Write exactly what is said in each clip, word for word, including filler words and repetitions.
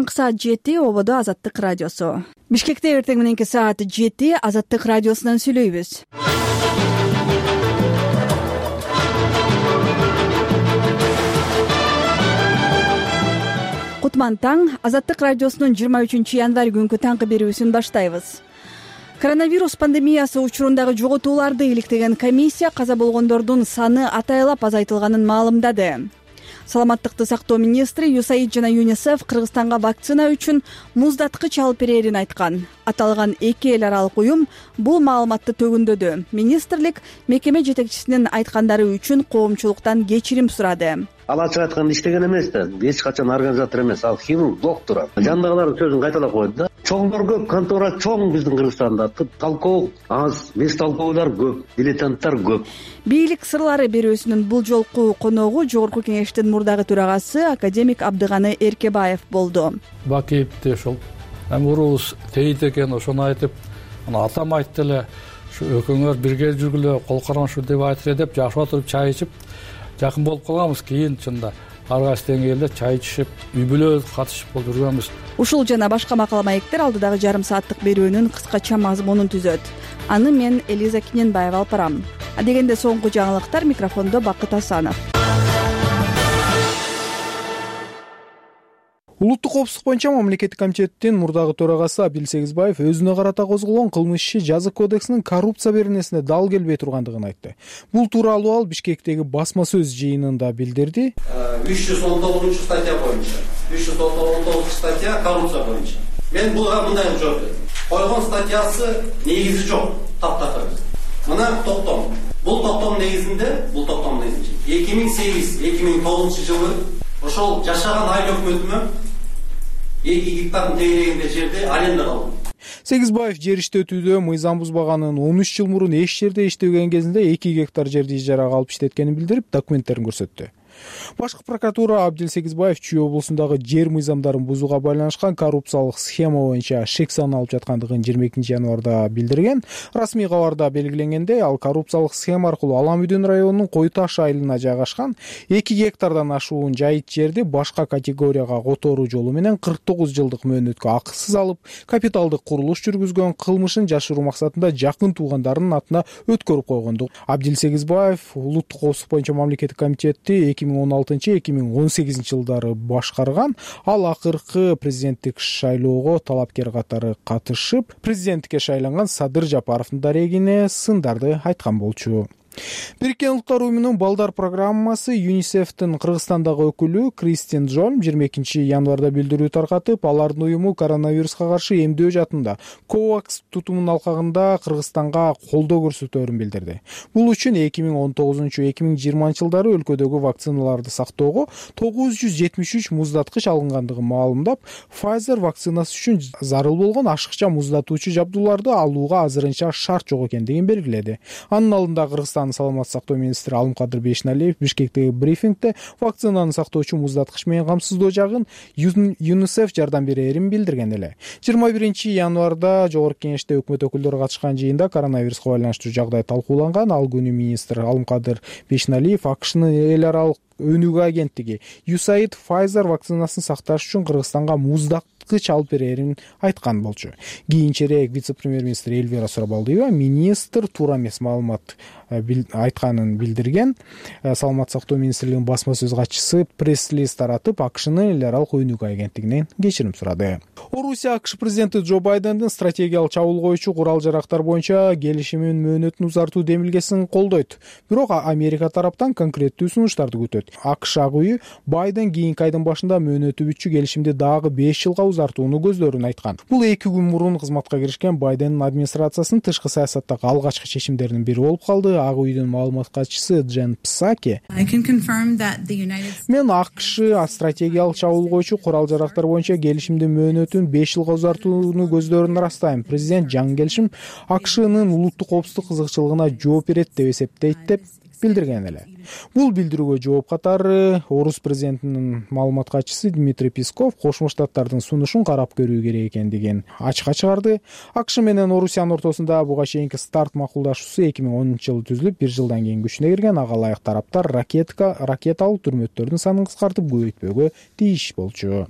Саат жети ободо Азаттык радиосу. Бишкекте эртең мененки саат жети Азаттык радиосунан сүйлөйбүз. Кутман таң. Азаттык радиосунун жыйырма үчүнчү январь күнкү таңкы берүүсүн баштайбыз. Коронавирус пандемиясы учурундагы жоготууларды иликтеген комиссия каза болгондордун саны атайлап азайтылганын маалымдады. Саламаттыкты сактоо министри ЮСАИД жана ЮНИСЕФ Кыргызстанга вакцина үчүн муздаткыч алып берерин айткан. Аталган эки эл аралык уюм бул маалыматты төгүндөдү. Министрлик мекеме жетекчисинин айткандары үчүн коомчулуктан кечирим сурады. Ал ачык айтканда иштеген эмес да, эч качан организатор эмес, ал хирург, доктор. Жандагылардын сөзүн кайталап койду да. Чоңдор көп, контора чоң биздин Кыргызстанда. Талкоо аз, мес талкоолор көп, дилетанттар көп. Бийлик сырлары берүүсүнүн бул жолку коногу Жогорку кеңештин мурдагы төрагасы академик Абдыганы Эркебаев болду. Бакиевди ошол урубуз тейит экен, ошону айтып, аны атам айтты эле, ушу экөөңөр бирге жүргүлө, кол кармашуу деп айтыр деп жашап отуруп чай ичип жакын болуп калганбыз. Кийин чында ар кайсы деңгээлде чай ичишип, үй бүлө катышып болуп жүргөнбүз. Ушул жана башка макала маектер алдыдагы жарым сааттык берүүнүн кыскача мазмунун түзөт. Аны мен Элиза Киненбаева алып барам. Адегенде соңку жаңылыктар, микрофондо Бакыт Асанов. Улуттук коопсуздук боюнча мамлекеттик комитеттин мурдагы төрагасы Абдил Сегизбаев өзүнө карата козголгон кылмыш иши жазык кодексинин коррупция беренесине дал келбей тургандыгын айтты. Бул тууралуу ал Бишкектеги басма сөз жыйынында билдирди. үч жүз он тогузунчу статья боюнча, үч жүз он тогузунчу статья коррупция боюнча. Мен буга мындай жооп бердим. Койгон статьясы негизи жок, таптакыр. Мына токтом. Бул токтом негизинде, бул токтом негизинде эки миң сегиз эки миң тогузунчу жылы ошол жашаган айыл өкмөтүмө эки гектардын тегерегинде жерде аренда калдым. Сегизбаев жер иштетүүдө мыйзам бузбаганын, он үч жыл мурун эч жерде иштеген кезинде эки гектар жерди ижарага алып иштеткенин билдирип, документтерин көрсөттү. Башкы прокуратура Абдил Сегизбаев Чүй облусундагы жер мыйзамдарын бузууга байланышкан коррупциялык схема боюнча шек сан алып жаткандыгын жыйырма экинчи январда билдирген. Расмий кабарда белгиленгендей, ал коррупциялык схема аркылуу Аламүдүн районунун Кой Таш айылына жайгашкан эки гектардан ашуун жайыт жерди башка категорияга которуу жолу менен кырк тогуз жылдык мөөнөткө акысыз алып, капиталдык курулуш жүргүзгөн, кылмышын жашыруу максатында жакын туугандарынын атына өткөрүп койгондук. Абдил Сегизбаев улуттук коопсуздук боюнча мамлекеттик комитетти эки миң он алтынчы эки миң он сегизинчи жылдары башкарган. Ал акыркы президенттик шайлоого талапкер катары катышып, президенттикке шайланган Садыр Жапаровдун дарегине сындарды айткан болчу. Бириккен Улуттар уюмунун балдар программасы ЮНИСЕФтин Кыргызстандагы өкүлү Кристин Джольм жыйырма экинчи январда билдирүү таркатып, алардын уюму коронавируска каршы эмдөө жаатында ковакс тутумун алкагында Кыргызстанга колдоо көрсөтөөрүн билдирди. Бул үчүн эки миң он тогузунчу эки миң жыйырманчы жылдары өлкөдөгү вакциналарды сактоого тогуз жүз жетимиш үч муздаткыч алынгандыгын маалымдап, Pfizer вакцинасы үчүн зарыл болгон ашыкча муздатуучу жабдууларды алууга азырынча шарт жок экендигин белгиледи. Анын алдында Кыргызстан саламаттык сактоо министри Алымкадыр Бейшналиев Бишкектеги брифингде вакцинаны сактоочу муздаткыч менен камсыздоо жагын ЮНИСЕФ жардам берерин билдирген эле. жыйырма биринчи январда Жогорку кеңеште өкмөт өкүлдөрү катышкан жыйында коронавируска байланыштуу жагдай талкууланган. Ал күнү министр Алымкадыр Бейшналиев АКШнын эл аралык өнүгүү агенттиги ЮСАИД Pfizer вакцинасын сакташ үчүн Кыргызстанга муздакыч алып берерин айткан болчу. Кийинчерээк вице-премьер-министр Эльвира Сурабалдиева министр туура эмес маалымат айтканын билдирген. Саламаттык сактоо министрлигинин басма сөз катчысы пресс-лист таратып, АКШнын эл аралык өнүгүү агенттигинен кечирим сурады. Орусия АКШ президенти Джо Байдендин стратегиялык чабуулгоочу курал-жарактар боюнча келишимин мөөнөтүн узартуу демилгесин колдойт. Бирок Америка тараптан конкреттүү сунуштарды күтөт. АКШ ак үйү Байден кийинки айдын башында мөөнөтү бүтчү келишимди дагы беш жылга узартууну көздөрүн айткан. Бул эки күн мурун кызматка киришкен Байдендин администрациясынын тышкы саясаттагы алгачкы чечимдеринин бири болуп калды. Ак үйдүн маалымат катчысы Джен Псаки: Мен АКШ стратегиялык чабуулгоочу курал-жарактар боюнча келишимди мөөнөтүн беш жылга узартууну көздөрүн ырастайм. Президент жаңы келишим АКШнын улуттук коопсуздук кызыкчылыгына жооп берет деп эсептейт деп билдирген эле. Бул билдирүүгө жооп катары Орус президентинин маалымат катчысы Дмитрий Песков Кошмо Штаттардын сунушун карап көрүү керек экендигин ачыкка чыгарды. АКШ менен Орусиянын ортосунда буга чейинки старт макулдашуусу эки миң онунчу жылы түзүлүп, бир жылдан кийин күчүнө кирген. Ага ылайык тараптар ракетка ракеталык түрмөттөрдүн санын кыскартып көбөйтпөөгө тийиш болчу.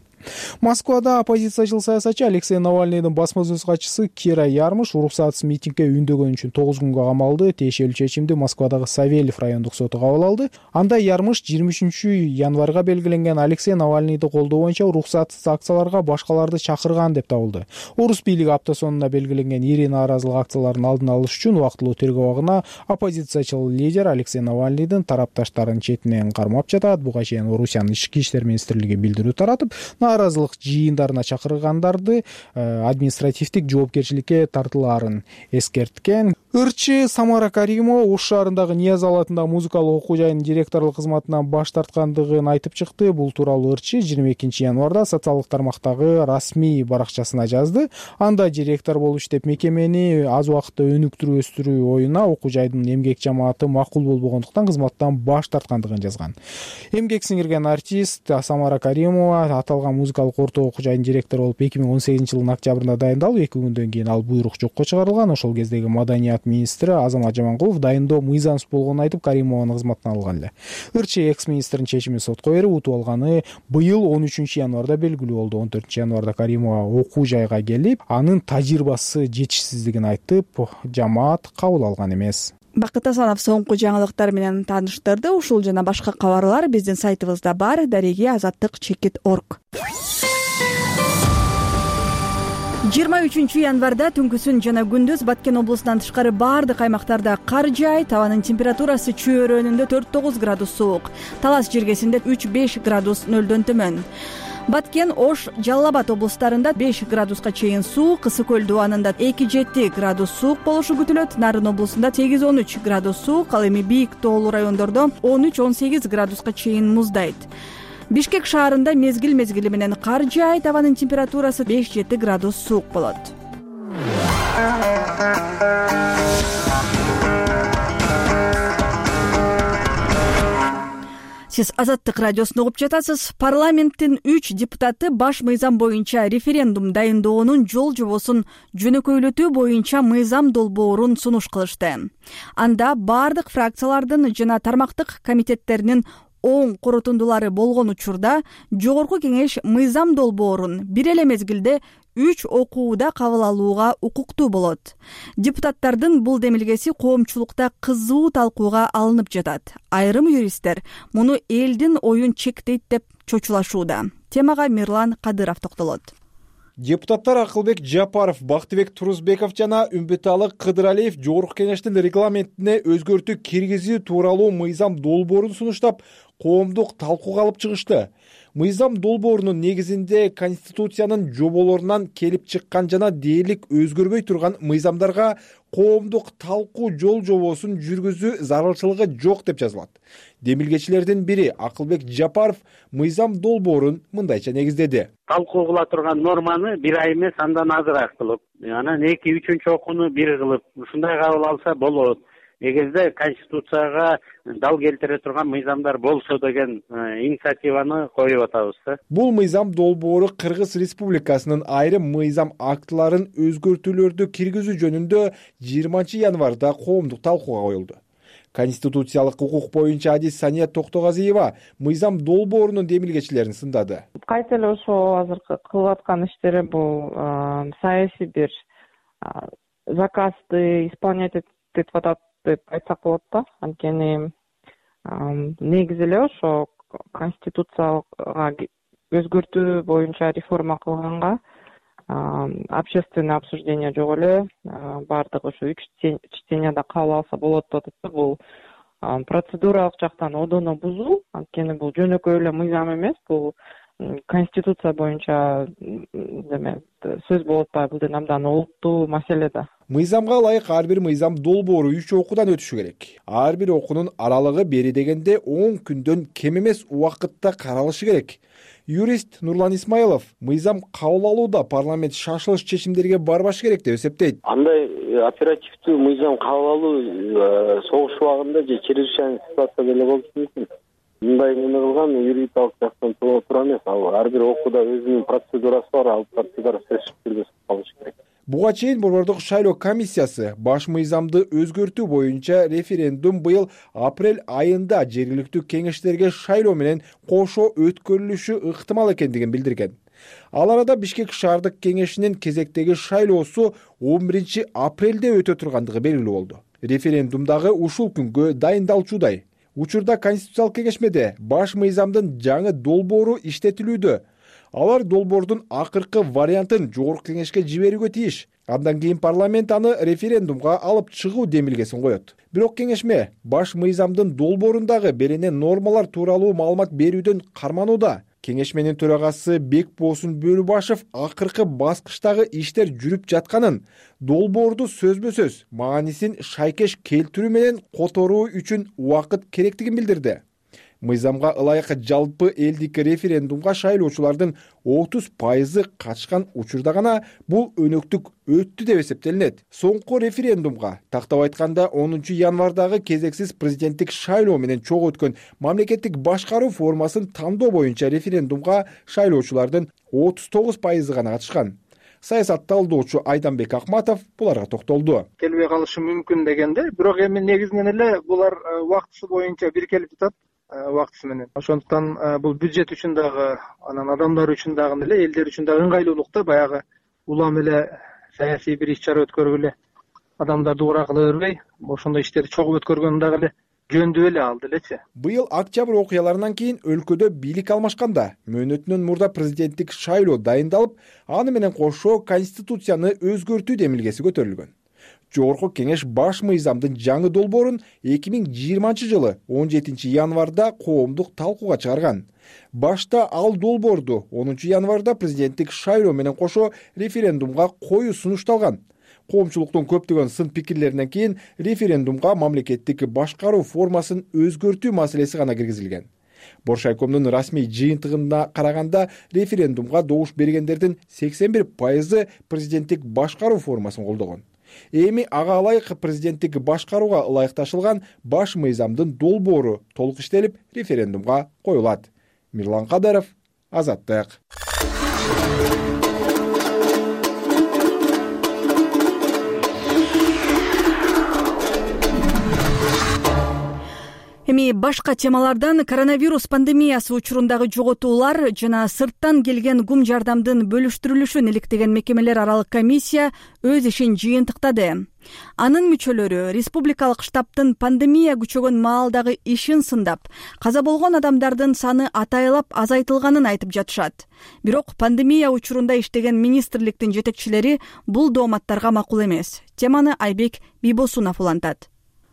Москвада оппозициячыл саясатчы Алексей Навальныйдын басма сөз катчысы Кира Ярмыш уруксатсыз митингге үндөгөнү үчүн тогуз күнгө камалды. Тиешелүү чечимди Москвадагы Савельев райондук соту кабыл алды. Анда Ярмыш жыйырма үчүнчү январга белгиленген Алексей Навальныйды колдоо боюнча уруксатсыз акцияларга башкаларды чакырган деп табылды. Орус бийлиги апта сонуна белгиленген ири нааразылык акцияларын алдын алыш үчүн убактылуу тергөө абагына оппозициячыл лидер Алексей Навальныйдын тарапташтарын четинен кармап жатат. Буга чейин Орусиянын ички иштер министрлиги билдирүү таратып, нааразылык жыйындарына чакыргандарды административдик жоопкерчиликке тартылаарын эскерткен. Ырчы Самара Каримова Ош шаарындагы Нияз алатындагы музыкалык окуу жайынын директорлук кызматынан баш тарткандыгын айтып чыкты. Бул тууралуу Ырчы жыйырма экинчи январда социалдык тармактагы расмий баракчасына жазды. Анда директор болуп иштеп мекемени аз убакытта өнүктүрүү өстүрүү оюна окуу жайдын эмгек жамааты макул болбогондуктан кызматтан баш тарткандыгын жазган. Эмгек сиңирген артист Самара Каримова аталган музыкалык орто окуу жайдын директору болуп эки миң он сегизинчи жылдын октябрында дайындалып, эки күндөн кийин ал буйрук жокко чыгарылган. Ошол кездеги маданият министри Азамат Жаманкулов дайындоо мыйзамсыз болгонун айтып, Каримованы кызматтан алган эле. Ырчы экс-министрдин чечими сотко берип, утуп алганы быйыл он үчүнчү январда белгилүү болду. он төртүнчү январда Каримова окуу жайга келип, анын тажрыйбасы жетишсиздигин айтып, жамаат кабыл алган эмес. Бакыт Асанов соңку жаңылыктар менен тааныштырды. Ушул жана башка кабарлар биздин сайтыбызда бар. Дареги азаттык чекит точка орг. жыйырма үчүнчү январда түнкүсүн жана күндүз Баткен облусунан тышкары баардык аймактарда кар жаайт. Абанын температурасы чөйрөнүндө төрт тогуз градус суук, Талас жергесинде үч беш градус нөлдөн төмөн. Баткен, Ош, Жалал Абад облустарында беш градуска чейин суук, Ысык көл дубанында эки жети градус суук болушу күтүлөт. Нарын облусунда сегиз он үч градус суук, ал эми бийик тоолуу райондордо он үч он сегиз градуска чейин муздайт. Бишкек шаарында мезгил мезгили менен кар жаайт. Абанын температурасы беш жети градус суук болот. Сиз Азаттык радиосун угуп жатасыз. Парламенттин үч депутаты баш мыйзам боюнча референдум дайындоонун жол жобосун жөнөкөйлөтүү боюнча мыйзам долбоорун сунуш кылышты. Анда бардык фракциялардын жана тармактык комитеттеринин оң корутундулары болгон учурда Жогорку кеңеш мыйзам долбоорун бир эле мезгилде үч окууда кабыл алууга укуктуу болот. Депутаттардын бул демилгеси коомчулукта кызуу талкууга алынып жатат. Айрым юристтер муну элдин оюн чектейт деп чочулашууда. Темага Мирлан Кадыров токтолот. Депутаттар Акылбек Жапаров, Бактыбек Турузбеков жана Үмбеталы Кыдыралиев Жогорку кеңештин регламентине өзгөртүү киргизүү тууралуу мыйзам долбоорун сунуштап, коомдук талкууга алып чыгышты. Мыйзам долбоорунун негизинде Конституциянын жоболорунан келип чыккан жана дээрлик өзгөрбөй турган мыйзамдарга коомдук талкуу жол жобосун жүргүзүү зарылчылыгы жок деп жазылат. Демилгечилердин бири Акылбек Жапаров мыйзам долбоорун мындайча негиздеди. Талкуу кыла турган норманы бир ай эмес, андан азыраак кылып, анан эки үчүнчү окууну бир кылып, ушундай кабыл алса болот. Эгерде Конституцияга дал келтире турган мыйзамдар болсо деген инициативаны коюп атабыз да. Бул мыйзам долбоору Кыргыз Республикасынын айрым мыйзам актыларын өзгөртүүлөрдү киргизүү жөнүндө жыйырманчы январда коомдук талкууга коюлду. Конституциялык укук боюнча адис Сания Токтогазиева мыйзам долбоорунун демилгечилерин сындады. Кайсы эле ошо азыркы кылып аткан иштери бул саясий бир заказды исполнять этип атат деп айтсак болот да. Анткени негизи эле ошо конституцияга өзгөртүү боюнча реформа кылганга общественное обсуждение жок эле, баардыгы ошо үч чтенияда кабыл алса болот деп атат. Бул процедуралык жактан одоно бузуу, анткени бул жөнөкөй эле мыйзам эмес, бул конституция боюнча деме сөз болуп атпайбы, бул абдан олуттуу маселе да. Мыйзамга ылайык ар бир мыйзам долбоору үч окуудан өтүшү керек. Ар бир окуунун аралыгы бери дегенде он күндөн кем эмес убакытта каралышы керек. Юрист Нурлан Исмаилов мыйзам кабыл алууда парламент шашылыш чечимдерге барбаш керек деп эсептейт. Андай оперативдүү мыйзам кабыл алуу согуш убагында же чрезвычайный ситуацияда эле болушу мүмкүн. Мындай эмне кылган юридикалык жактан туура эмес. Ал ар бир окууда өзүнүн процедурасы бар, ал процедура сөзсүз түрдө калышы керек. Буга чейин Борбордук шайлоо комиссиясы баш мыйзамды өзгөртүү боюнча референдум быйыл апрель айында жергиликтүү кеңештерге шайлоо менен кошо өткөрүлүшү ыктымал экендигин билдирген. Ал арада Бишкек шаардык кеңешинин кезектеги шайлоосу он биринчи апрелде өтө тургандыгы белгилүү болду. Референдумдагы ушул күнгө дайындалчудай. Учурда Конституциялык кеңешмеде баш мыйзамдын жаңы долбоору иштетилүүдө. Алар долбоордун акыркы вариантын жогорку кеңешке жиберүүгө тийиш. Андан кийин парламент аны референдумга алып чыгуу демилгесин коет. Бирок кеңешме баш мыйзамдын долбоорундагы берене нормалар тууралуу маалымат берүүдөн карманууда. Кеңешменин төрагасы Бекбоосун Бөлүбашев акыркы баскычтагы иштер жүрүп жатканын, долбоорду сөзбө сөз маанисин шайкеш келтирүү менен которуу үчүн убакыт керектигин билдирди. Мыйзамга ылайык жалпы элдик референдумга шайлоочулардын отуз пайызы катышкан учурда гана бул өнөктүк өттү деп эсептелинет. Соңку референдумга тактап айтканда онунчу январдагы кезексиз президенттик шайлоо менен чогуу өткөн мамлекеттик башкаруу формасын тандоо боюнча референдумга шайлоочулардын отуз тогуз пайызы гана катышкан. Саясат талдоочу Айданбек Акматов буларга токтолду. Келбей калышы мүмкүн дегенде, бирок эми негизинен эле булар убактысы боюнча бирикелип жатат. Убактысы менен. Ошондуктан бул бюджет үчүн дагы, анан адамдар үчүн дагы эле, элдер үчүн дагы ыңгайлуулукта баягы улам эле саясий бир иш-чара өткөргүлө, адамдарды ура кыла бербей, ошондой иштерди чогуу өткөргөн дагы эле жөндүү эле ал делечи. Быйыл октябрь окуяларынан кийин өлкөдө бийлик алмашканда мөөнөтүнөн мурда президенттик шайлоо дайындалып, аны менен кошо конституцияны өзгөртүү демилгеси көтөрүлгөн. Жогорку кеңеш баш мыйзамдын жаңы долбоорун эки миң жыйырманчы жылы он жетинчи январда коомдук талкууга чыгарган. Башта ал долбоорду онунчу январда президенттик шайлоо менен кошо референдумга коюу сунушталган. Коомчулуктун көптөгөн сын пикирлеринен кийин референдумга мамлекеттик башкаруу формасын өзгөртүү маселеси гана киргизилген. Боршайкомдун расмий жыйынтыгына караганда референдумга добуш бергендердин сексен бир пайызы президенттик башкаруу формасын колдогон. Эми ага ылайык президенттик башкарууга ылайыкташылган баш мыйзамдын долбоору толук иштелип референдумга коюлат. Мирлан Кадаров, Азаттык. Эми башка темалардан коронавирус пандемиясы учурундагы жоготуулар жана сырттан келген гум жардамдын бөлүштүрүлүшүн иликтеген мекемелер аралык комиссия өз ишин жыйынтыктады. Анын мүчөлөрү республикалык штабтын пандемия күчөгөн маалдагы ишин сындап, каза болгон адамдардын саны атайлап азайтылганын айтып жатышат. Бирок пандемия учурунда иштеген министрликтин жетекчилери бул дооматтарга макул эмес. Теманы Айбек Бийбосунов улантат.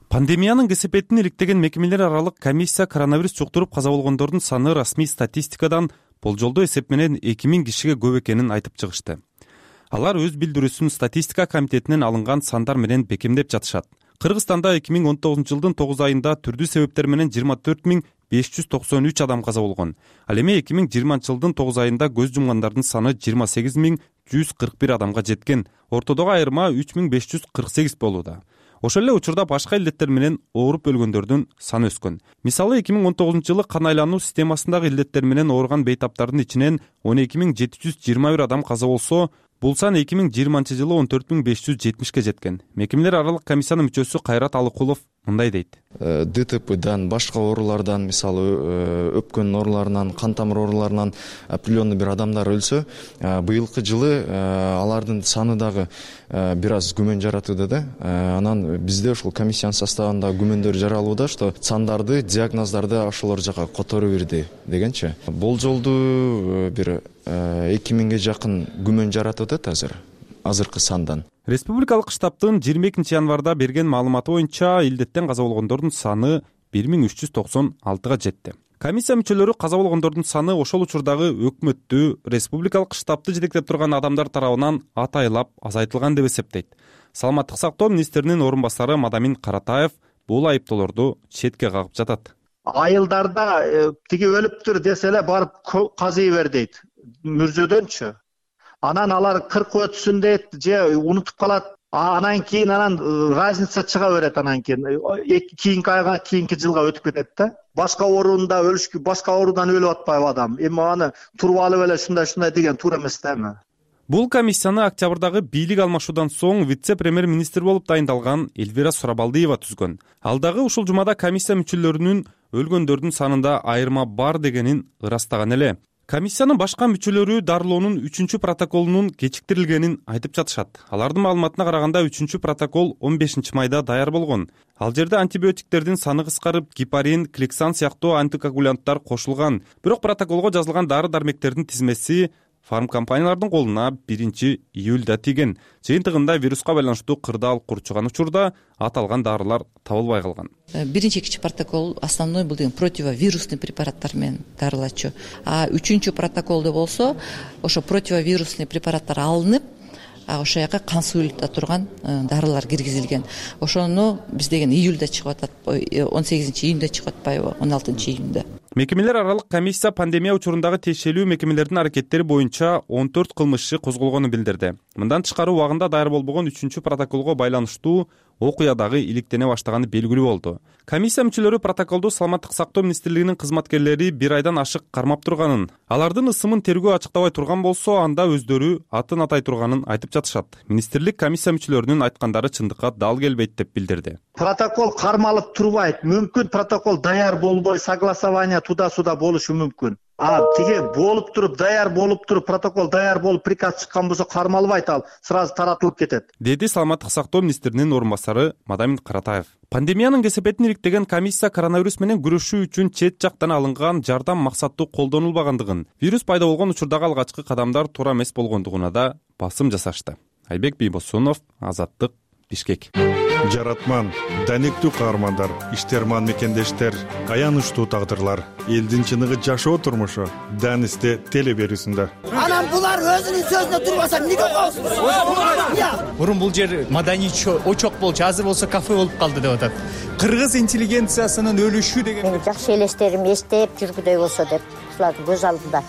Пандемиянын кесепетин иликтеген мекемелер аралык комиссия коронавирус жуктуруп каза болгондордун саны расмий статистикадан болжолдоо эсеп менен эки миң кишиге көп экенин айтып чыгышты. Алар өз билдирүүсүн статистика комитетинен алынган сандар менен бекемдеп жатышат. Кыргызстанда эки миң он тогузунчу жылдын тогуз айында түрдүү себептер менен жыйырма төрт миң беш жүз токсон үч адам каза болгон. Ал эми эки миң жыйырманчы жылдын тогуз айында көз жумгандардын саны жыйырма сегиз миң жүз кырк бир адамга жеткен. Ортодогу айырма үч миң беш жүз кырк сегиз болууда. Ошол эле учурда башка илдеттер менен ооруп өлгөндөрдүн саны өскөн. Мисалы эки миң он тогузунчу жылы кан айлануу системасындагы илдеттер менен ооруган бейтаптардын ичинен он эки миң жети жүз жыйырма бир адам каза болсо, бул сан эки миң жыйырманчы жылы он төрт миң беш жүз жетимишке жеткен. Мекемелер аралык комиссиянын мүчөсү Кайрат Алыкулов мындай дейт. ДТПдан, башка оорулардан, мисалы өпкөн ооруларынан, кан тамыр ооруларынан определенный бир адамдар өлсө, быйылкы жылы алардын саны дагы бир аз күмөн жаратууда да. Анан бизде ушул комиссиянын составында күмөндөр жаралууда, что сандарды, диагноздарды ошолор жака которо берди дегенчи. Болжолду бир эки миңге жакын күмөн жаратып атат азыр. Азыркы сандан. Республикалык штабтын жыйырма экинчи январда берген маалыматы боюнча илдеттен каза болгондордун саны бир миң үч жүз токсон алтыга жетти. Комиссия мүчөлөрү каза болгондордун саны ошол учурдагы өкмөттү, республикалык штабты жетектеп турган адамдар тарабынан атайлап азайтылган деп эсептейт. Саламаттык сактоо министринин орун басары Мадамин Каратаев бул айыптоолорду четке кагып жатат. Айылдарда тиги өлүптүр десе эле барып казый бер дейт. Мүрзөдөнчү. Анан алар кыркы өтсүн дейт, же унутуп калат. Анан кийин анан разница чыга берет, анан кийин кийинки айга, кийинки жылга өтүп кетет да. Башка оорунда өлүшкү, башка оорудан өлүп атпайбы адам. Эми аны туруп алып эле ушундай-ушундай деген туура эмес да эми. Бул комиссияны октябрдагы бийлик алмашуудан соң вице-премьер-министр болуп дайындалган Эльвира Сурабалдиева түзгөн. Ал дагы ушул жумада комиссия мүчөлөрүнүн өлгөндөрдүн санында айырма бар дегенин ырастаган эле. Комиссиянын башка мүчөлөрү дарылоонун үчүнчү протоколунун кечиктирилгенин айтып жатышат. Алардын маалыматына караганда үчүнчү протокол он бешинчи майда даяр болгон. Ал жерде антибиотиктердин саны кыскарып, гепарин, кликсан сыяктуу антикоагулянттар кошулган. Бирок протоколго жазылган дары-дармектердин тизмеси фармкомпаниялардын колуна биринчи июлда тийген. Жыйынтыгында вируска байланыштуу кырдаал курчуган учурда аталган дарылар табылбай калган. Биринчи экинчи протокол основной бул деген противовирусный препараттар менен дарылачу. А үчүнчү протоколдо болсо ошо противовирусный препараттар алынып, ошол жака кан суюлда турган дарылар киргизилген. Ошону биз деген июлда чыгып атат, он сегизинчи июнда чыгып атпайбы, он алтынчы июнда. Мекемелер аралык комиссия пандемия учурундагы тиешелүү мекемелердин аракеттери боюнча он төрт кылмыш иши козголгонун билдирди. Мындан тышкары убагында даяр болбогон үчүнчү протоколго байланыштуу окуя-дагы иликтене баштаганы белгилүү болду. Комиссия мүчөлөрү протоколду Саламаттык сактоо министрлигинин кызматкерлери бир айдан ашык кармап турганын, алардын ысымын тергөө ачыктабай турган болсо, анда өздөрү атын атай турганын айтып жатышат. Министрлик комиссия мүчөлөрүнүн айткандары чындыкка дал келбейт деп билдирди. Протокол кармалып турбайт. Мүмкүн протокол даяр болбой, согласование туда-сюда болушу мүмкүн. А тиги болуп туруп, даяр болуп туруп, протокол даяр болуп, приказ чыккан болсо кармалбайт, ал сразу таратылып кетет, деди Саламаттык сактоо министринин орун басары Мадамин Каратаев. Пандемиянын кесепетин иликтеген комиссия коронавирус менен күрөшүү үчүн чет жактан алынган жардам максаттуу колдонулбагандыгын, вирус пайда болгон учурдагы алгачкы кадамдар туура эмес болгондугуна да басым жасашты. Айбек Бийбосунов, Азаттык, Бишкек. Жаратман, даниктүү каармандар, иштерман мекендештер, аянычтуу тагдырлар, элдин чыныгы жашоо турмушу Данисте теле берүүсүндө. Анан булар өзүнүн сөзүнө турбаса эмнеге коесуз? Мурун бул жер маданий очок болчу, азыр болсо кафе болуп калды деп атат. Кыргыз интеллигенциясынын өлүшү деген. Жакшы элестерим эстеп жүргүдөй болсо деп, ушулардын көз алдында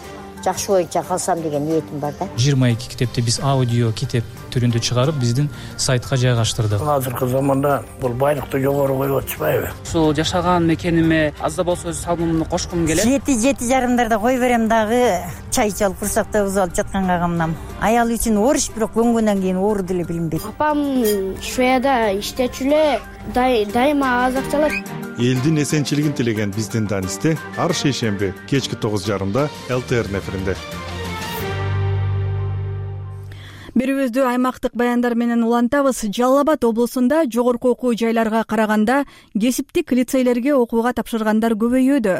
жакшы боюнча калсам деген ниетим бар да. жыйырма эки китепти биз аудио китеп түрүндө чыгарып, биздин сайтка жайгаштырдык. Азыркы заманда бул байлыкты жогору коюп атышпайбы? Ушул жашаган мекениме аз да болсо өз салымымды кошкум келет. Жети жети жарымдарда кой берем дагы, чай чалып курсакта уз алып жатканга камнам. Аял үчүн ориш, бирок көнгөндөн кийин оору деле билинбейт. Апам Шведияда иштечү эле, дайыма аз акча алат. Элдин эсенчилигин тилеген биздин Данисте ар шейшемби кечки тогуз жарымда эл тэ эр эфиринде. Берүүбүздү аймактык баяндар менен улантабыз. Жалал Абад облусунда жогорку окуу жайларга караганда кесиптик лицейлерге окууга тапшыргандар көбөйүүдө.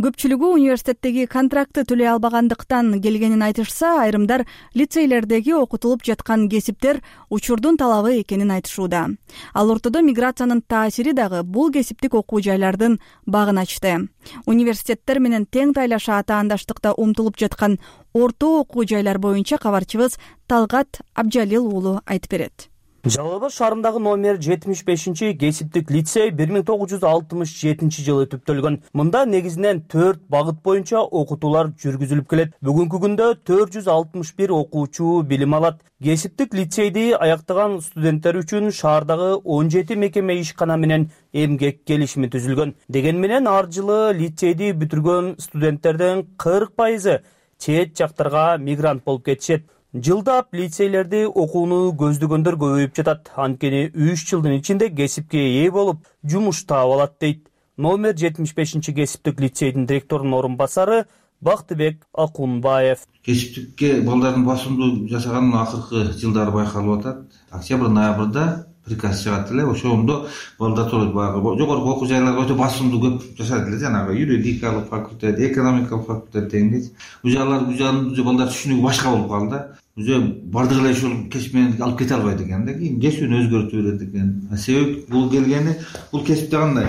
Көпчүлүгү университеттеги контрактты төлөй албагандыктан келгенин айтышса, айрымдар лицейлердеги окутулуп жаткан кесиптер учурдун талабы экенин айтышууда. Ал ортодо миграциянын таасири дагы бул кесиптик окуу жайлардын багын ачты. Университеттер менен тең тайлаша атаандаштыкта умтулуп жаткан орто окуу жайлар боюнча кабарчыбыз Талгат Абжалил уулу айтып берет. Жалал Абад шаарындагы номер жетимиш бешинчи кесиптик лицей бир миң тогуз жүз алтымыш жетинчи жылы түптөлгөн. Мында негизинен төрт багыт боюнча окутуулар жүргүзүлүп келет. Бүгүнкү күндө төрт жүз алтымыш бир окуучу билим алат. Кесиптик лицейди аяктаган студенттер үчүн шаардагы он жети мекеме ишкана менен эмгек келишими түзүлгөн. Деген менен ар жылы лицейди бүтүргөн студенттердин кырк пайызы чет жактарга мигрант болуп кетишет. Жылдап лицейлерди окууну көздөгөндөр көбөйүп жатат. Анткени үч жылдын ичинде кесипке ээ болуп, жумуш таап алат дейт номер жетимиш бешинчи кесиптик лицейдин директорунун орун басары Бактыбек Акунбаев. Кесиптикке балдардын басымдуу жасаганын акыркы жылдары байкалып атат. Октябрь ноябрда приказ чыгат эле, ошондо балдар баягы жогорку окуу жайларга өтө басымдуу көп жашат эле, жанагы юридикалык факультет, экономикалык факультет дегендей. Бул жайлар бул жайлар балдар түшүнүгү башка болуп калды. Уже бардыгы эле ушул кесип менен алып кете албайт экен да, кийин кесүүнү өзгөртүп берет экен. Себеп бул келгени, бул кесипте кандай?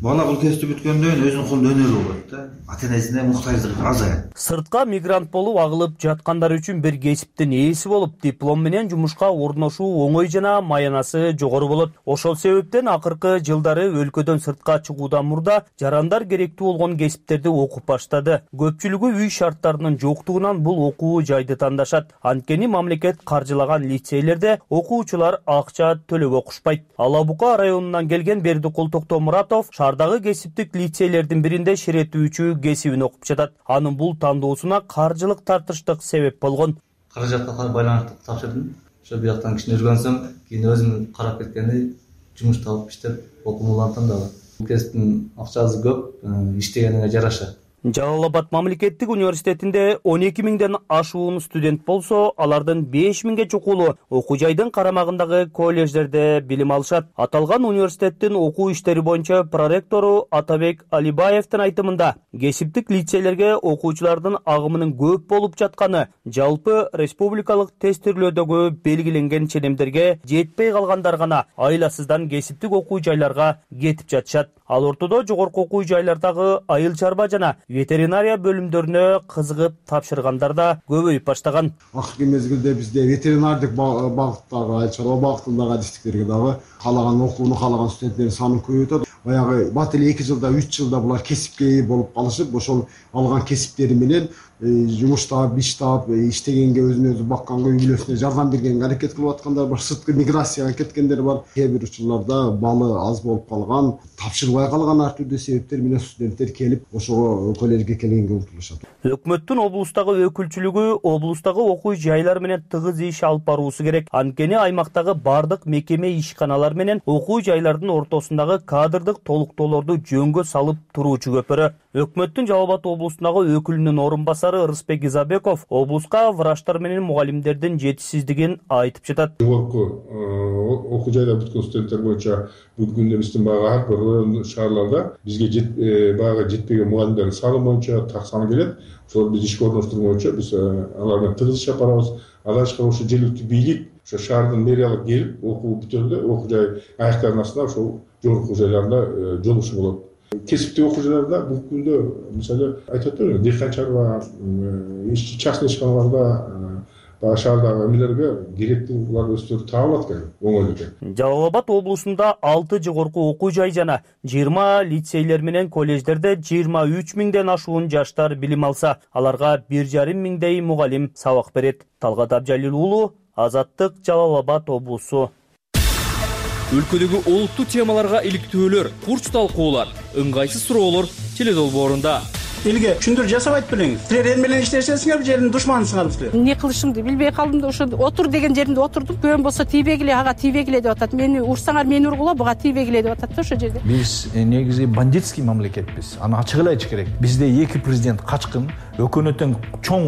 Бала бул кесипти бүткөндөн кийин өзүнүн колунда өнөр болот да. Ата-энесине муктаждыгы азаят. Сыртка мигрант болуп агылып жаткандар үчүн бир кесиптин ээси болуп, диплом менен жумушка орношуу оңой жана маянасы жогору болот. Ошол себептен акыркы жылдары өлкөдөн сыртка чыгуудан мурда жарандар керектүү болгон кесиптерди окуп баштады. Көпчүлүгү үй шарттарынын жоктугунан бул окуу жайды тандашат. Анткени мамлекет каржылаган лицейлерде окуучулар акча төлөп окушпайт. Ала Бука районунан келген Бердикул Токтомуратов шаардагы кесиптик лицейлердин биринде ширетүүчү кесибин окуп жатат. Анын бул тандоосуна каржылык тартыштык себеп болгон. Каражатка байланыштуу тапшырдым. Ошо бияктан кичине жүргөнсөм, кийин өзүм карап кеткени жумуш таап иштеп окумулантам дагы. Бул кесиптин акчасы көп, иштегенине жараша. Жалал Абад мамлекеттик университетинде он эки миңден ашуун студент болсо, алардын беш миңге чукулу окуу жайдын карамагындагы колледждерде билим алышат. Аталган университеттин окуу иштери боюнча проректору Атабек Алибаевдин айтымында, кесиптик лицейлерге окуучулардын агымынын көп болуп жатканы жалпы республикалык тестирлөөдөгү белгиленген ченемдерге жетпей калгандар гана айласыздан кесиптик окуу жайларга кетип жатышат. Ал ортодо жогорку окуу жайлардагы айыл чарба жана ветеринария бөлүмдөрүнө кызыгып тапшыргандар да көбөйүп баштаган. Акыркы мезгилде бизде ветеринардык багыттагы, айыл чарба багытындагы адистиктерге дагы каалаган окууну каалаган студенттердин саны көбөйүп атат. Баягы бат эле эки жылда, үч жылда булар кесипке ээ болуп калышып, ошол алган кесиптери менен жумуштап, иштап, иштегенге, өзүн өзү бакканга, үй бүлөсүнө жардам бергенге аракет кылып аткандар бар, сырткы миграцияга кеткендер бар. Кээ бир учурларда балы аз болуп калган, тапшырбай калган ар түрдүү себептер менен студенттер келип, ошого коллежге келгенге умтулушат. Өкмөттүн облустагы өкүлчүлүгү облустагы окуу жайлар менен тыгыз иш алып баруусу керек. Анткени аймактагы бардык мекеме ишканалар менен окуу жайлардын ортосундагы кадрдык толуктоолорду жөнгө салып туруучу көпүрө. Өкмөттүн Жалал Абад облустундагы өкүлүнүн орун басары Рыспек Изабеков облуска врачтар менен мугалимдердин жетишсиздигин айтып жатат. Жогорку окуу жайда бүткөн студенттер боюнча бүгүнкү күндө биздин баягы ар бир район шаарларда бизге баягы жетпеген мугалимдердин саны боюнча так сан келет. Ошол биз ишке орноштуруу боюнча биз алар менен тыгыз иш алып барабыз. Андан тышкары ошо жергиликтүү бийлик, ошо шаардын мэриялык келип, окуу бүтөндө окуу жай аяктардын астында ошол жогорку окуу жайларында жолугушуу болот. Кесиптик окуу жайларда бүгүнкү күндө мисалы айтып атпайбы, дыйкан чарба, частный ишканаларда баягы шаардагы эмелерге керектүү булар өздөрү таап алат экен, оңой экен. Жалал Абад облусунда алты жогорку окуу жай жана жыйырма лицейлер менен коллеждерде жыйырма үч миңден ашуун жаштар билим алса, аларга бир жарым миңдей мугалим сабак берет. Талгат Абжалил уулу, Азаттык, Жалал Абад облусу. Өлкөдөгү олуттуу темаларга иликтөөлөр, курч талкуулар, ыңгайсыз суроолор теледолбоорунда. Элге түшүндүрүү жасабайт белеңиз. Силер эл менен иштешесиңер, жердин душманысыңар силер. Эмне кылышымды билбей калдым да ошо отур деген жеримде отурдум. Көөм болсо тийбегиле, ага тийбегиле деп атат. Мени урсаңар мени ургула, буга тийбегиле деп атат да ошо жерде. Биз негизи бандитский мамлекетпиз. Аны ачык эле айтыш керек. Бизде эки президент качкын, өкмөттүн чоң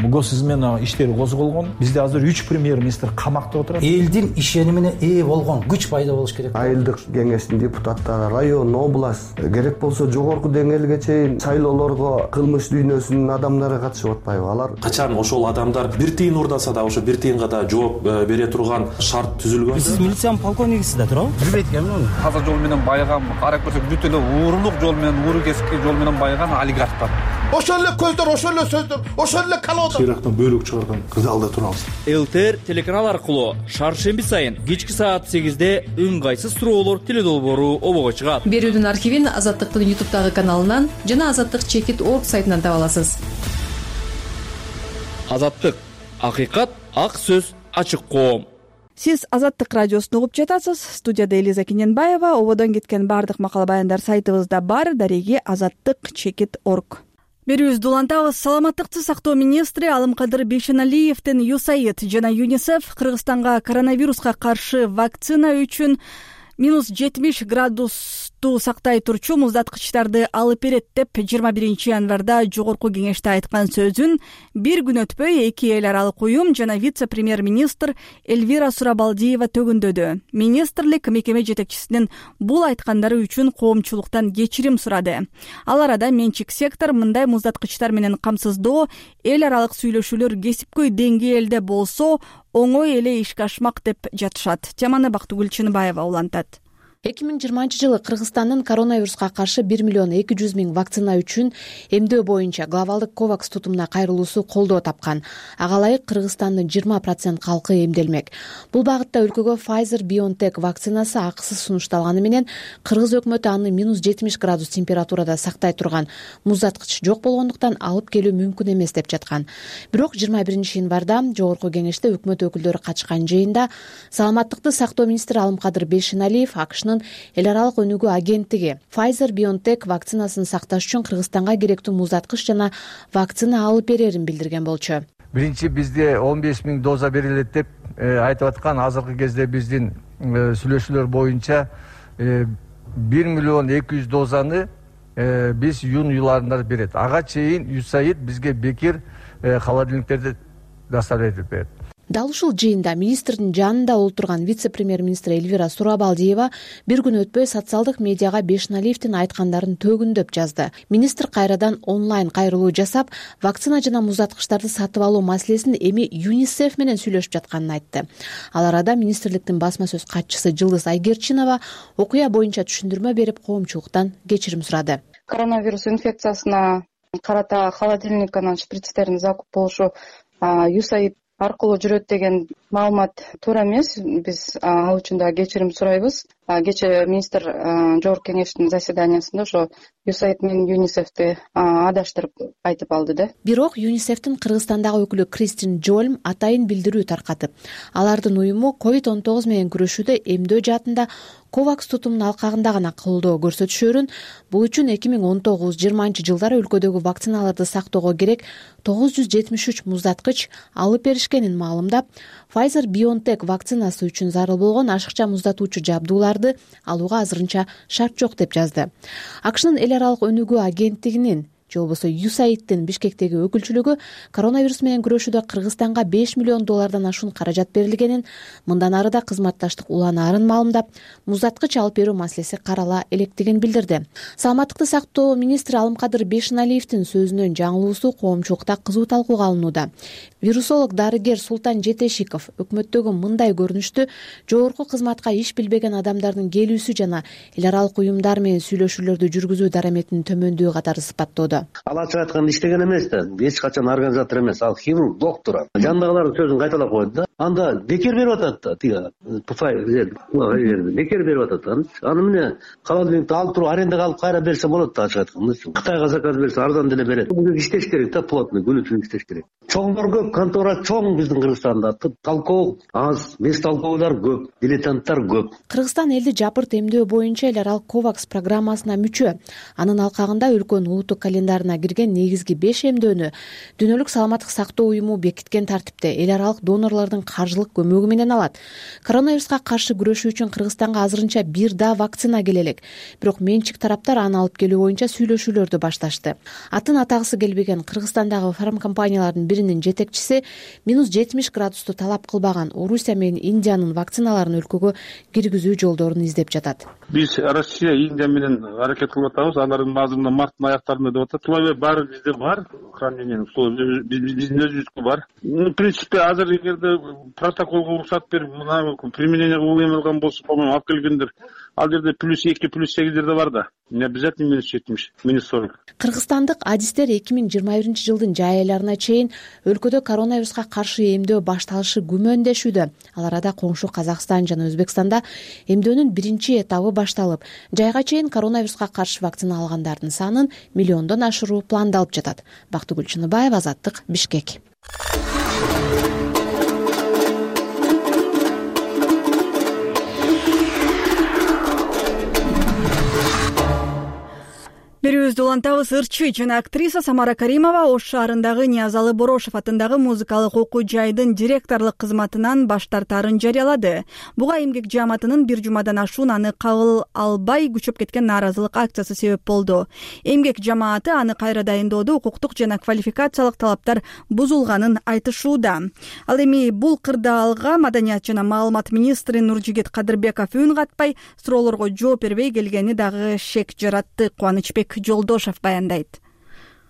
мугосуз менен иштери козголгон. Бизде азыр үч премьер-министр камакта отурат. Элдин ишенимине ээ болгон күч пайда болуш керек. Айылдык кеңештин депутаттары, район, область, керек болсо жогорку деңгээлге чейин шайлоолор кылмыш дүйнөсүнүн адамдары катышып атпайбы? Алар качан ошол адамдар бир тыйын урдаса да ошо бир тыйынга да жооп бере турган шарт түзүлгөн. Сиз милициянын полковнигисиз да туурабы? Билбейт экенмин. Таза жол менен байыган, карап көрсөк бүт эле уурулук жол менен, ууру кесипки жол менен байыган олигархтар. Ошол эле көздөр, ошол эле сөздөр, ошол эле колодо. Ирактан бөлүк чыгарган кырдаалда турабыз. ЛТР телеканал аркылуу шаршемби сайын кечки саат сегизде ыңгайсыз суроолор теледолбоору обого чыгат. Берүүдүн архивин Азаттыктын ютубтагы каналынан жана азаттык чекит точка орг сайтынан таба аласыз. Азаттык, акыйкат, ак сөз, ачык коом. Сиз Азаттык радиосун угуп жатасыз. Студияда Элиза Кененбаева. Ободон кеткен бардык макала баяндар сайтыбызда бар. Дареги азаттык чекит точка орг. Берүүбүздү улантабыз. Саламаттыкты сактоо министри Алымкадыр Бейшеналиевдин ЮСАИД жана ЮНИСЕФ Кыргызстанга коронавируска каршы вакцина үчүн минус жетимиш градусту сактай турчу муздаткычтарды алып берет деп жыйырма биринчи январда жогорку кеңеште айткан сөзүн бир күн өтпөй эки эл аралык уюм жана вице-премьер-министр Эльвира Сурабалдиева төгүндөдү. Министрлик мекеме жетекчисинин бул айткандары үчүн коомчулуктан кечирим сурады. Ал арада менчик сектор мындай муздаткычтар менен камсыздоо эл аралык сүйлөшүүлөр кесипкөй деңгээлде болсо оңой эле ишке ашмак деп жатышат. Теманы Бактыгүл Чыныбаева улантат. эки миң жыйырманчы жылы Кыргызстандын коронавируска каршы бир миллион эки жүз миң вакцина үчүн эмдөө боюнча глобалдык ковакс тутумуна кайрылуусу колдоо тапкан. Ага ылайык Кыргызстандын жыйырма процент калкы эмделмек. Бул багытта өлкөгө Pfizer-BioNTech вакцинасы акысыз сунушталганы менен кыргыз өкмөтү аны минус жетимиш градус температурада сактай турган муздаткыч жок болгондуктан алып келүү мүмкүн эмес деп жаткан. Бирок жыйырма биринчи январда жогорку кеңеште өкмөт өкүлдөрү катышкан жыйында саламаттыкты сактоо министри Алымкадыр Бейшеналиев АКШнын эл аралык өнүгүү агенттиги Pfizer-BioNTech вакцинасын сакташ үчүн Кыргызстанга керектүү муздаткыч жана вакцина алып берерин билдирген болчу. Биринчи бизде он беш миң доза берилет деп айтып аткан. Азыркы кезде биздин сүйлөшүүлөр боюнча бир миллион эки жүз дозаны биз июнь айларында берет. Ага чейин ЮСАИД бизге бекер холодильниктерди доставлять этип берет. Дал ушул жыйында министрдин жанында олтурган вице-премьер-министр Эльвира Сурабалдиева бир күн өтпөй социалдык медиага Бешналиевдин айткандарын төгүндөп жазды. Министр кайрадан онлайн кайрылуу жасап, вакцина жана муздаткычтарды сатып алуу маселесин эми ЮНИСЕФ менен сүйлөшүп жатканын айтты. Ал арада министрликтин басма сөз катчысы Жылдыз Айгерчинова окуя боюнча түшүндүрмө берип, коомчулуктан кечирим сурады. Коронавирус инфекциясына карата холодильник анан шприцтердин закуп болушу ЮСАИД аркылуу жүрөт деген маалымат туура эмес. Биз ал үчүн да кечирим сурайбыз. Кечээ министр жогорку кеңештин заседаниясында ошо ЮСАИД менен ЮНИСЕФти адаштырып айтып алды да. Бирок ЮНИСЕФтин Кыргызстандагы өкүлү Кристин Джольм атайын билдирүү таркатып, алардын уюму ковид он тогуз менен күрөшүүдө эмдөө жаатында ковакс тутумунун алкагында гана колдоо көрсөтүшөрүн, бул үчүн эки миң он тогуз жыйырманчы жылдары өлкөдөгү вакциналарды сактоого керек тогуз жүз жетимиш үч муздаткыч алып беришкенин маалымдап, Pfizer-BioNTech вакцинасы үчүн зарыл болгон ашыкча муздатуучу жабдууларды алууга азырынча шарт жок деп жазды. АКШнын эл аралык өнүгүү агенттигинин же болбосо ЮСАИДтин Бишкектеги өкүлчүлүгү коронавирус менен күрөшүүдө Кыргызстанга беш миллион доллардан ашуун каражат берилгенин, мындан ары да кызматташтык уланаарын маалымдап, муздаткыч алып берүү маселеси карала электигин билдирди. Саламаттыкты сактоо министри Алымкадыр Бешналиевдин сөзүнөн жаңылуусу коомчулукта кызуу талкууга алынууда. Вирусолог дарыгер Султан Жетешиков өкмөттөгү мындай көрүнүштү жогорку кызматка иш билбеген адамдардын келүүсү жана эл аралык уюмдар менен сүйлөшүүлөрдү жүргүзүү дараметинин төмөндүгү катары сыпаттоодо. Ал ачык айтканда иштеген эмес да, эч качан организатор эмес, ал хирург, доктор. Жанындагылардын сөзүн кайталап коет да. Анда бекер берип атат да, тиги бекер берип атат. Аны эмне холодильникти алып туруп арендага алып кайра берсе болот да, ачык айтканда. Кытайга заказ берсе арзан деле берет. Бул иштеш керек да, плотный, күнү түнү иштеш керек. Чоңдор көп, контора чоң биздин Кыргызстанда. Талкоо аз, бес талкоолор көп, дилетанттар көп. Кыргызстан элди жапырт эмдөө боюнча эл аралык ковакс программасына мүчө. Анын алкагында өлкөнүн улуттук календарына кирген негизги беш эмдөөнү Дүйнөлүк саламаттык сактоо уюму бекиткен тартипте эл аралык донорлордун каржылык көмөгү менен алат. Коронавируска каршы күрөшүү үчүн Кыргызстанга азырынча бир да вакцина келе элек. Бирок менчик тараптар аны алып келүү боюнча сүйлөшүүлөрдү башташты. Атын атагысы келбеген Кыргызстандагы фармкомпаниялардын биринин жетекчиси минус жетимиш градусту талап кылбаган Орусия менен Индиянын вакциналарын өлкөгө киргизүү жолдорун издеп жатат. Биз Россия, Индия менен аракет кылып атабыз. Алардын азырында марттын аяктарында деп атат. Булай баары бизде бар. Хранение биздин өзүбүзгө бар. В принципе, азыр эгерде протоколго уруксат берип, мына применение кылып эмелган болсо, по-моему, алып келгендер. Ал жерде плюс эки, плюс сегиздер да бар да. Не обязательно минус жетимиш, минус сорок. Кыргызстандык адистер эки миң жыйырма биринчи жылдын жай айларына чейин өлкөдө коронавируска каршы эмдөө башталышы күмөндөшүүдө. Ал арада коңшу Казакстан жана Өзбекстанда эмдөөнүн биринчи этабы башталып, жайга чейин коронавируска каршы вакцина алгандардын санын миллиондон ашыруу пландалып жатат. Бактыгүл Чыныбаева, Азаттык, Бишкек. Берүүбүздү улантабыз. Ырчы жана актриса Самара Каримова Ош шаарындагы Ниязалы Борошев атындагы музыкалык окуу жайдын директорлук кызматынан баш тартаарын жарыялады. Буга эмгек жааматынын бир жумадан ашуун аны кабыл албай күчөп кеткен нааразылык акциясы себеп болду. Эмгек жамааты аны кайра дайындоодо укуктук жана квалификациялык талаптар бузулганын айтышууда. Ал эми бул кырдаалга Маданият жана маалымат министри Нуржигит Кадырбеков үн катпай, суроолорго жооп бербей келгени дагы шек жаратты. Кубанычбек Жолдошев баяндайт.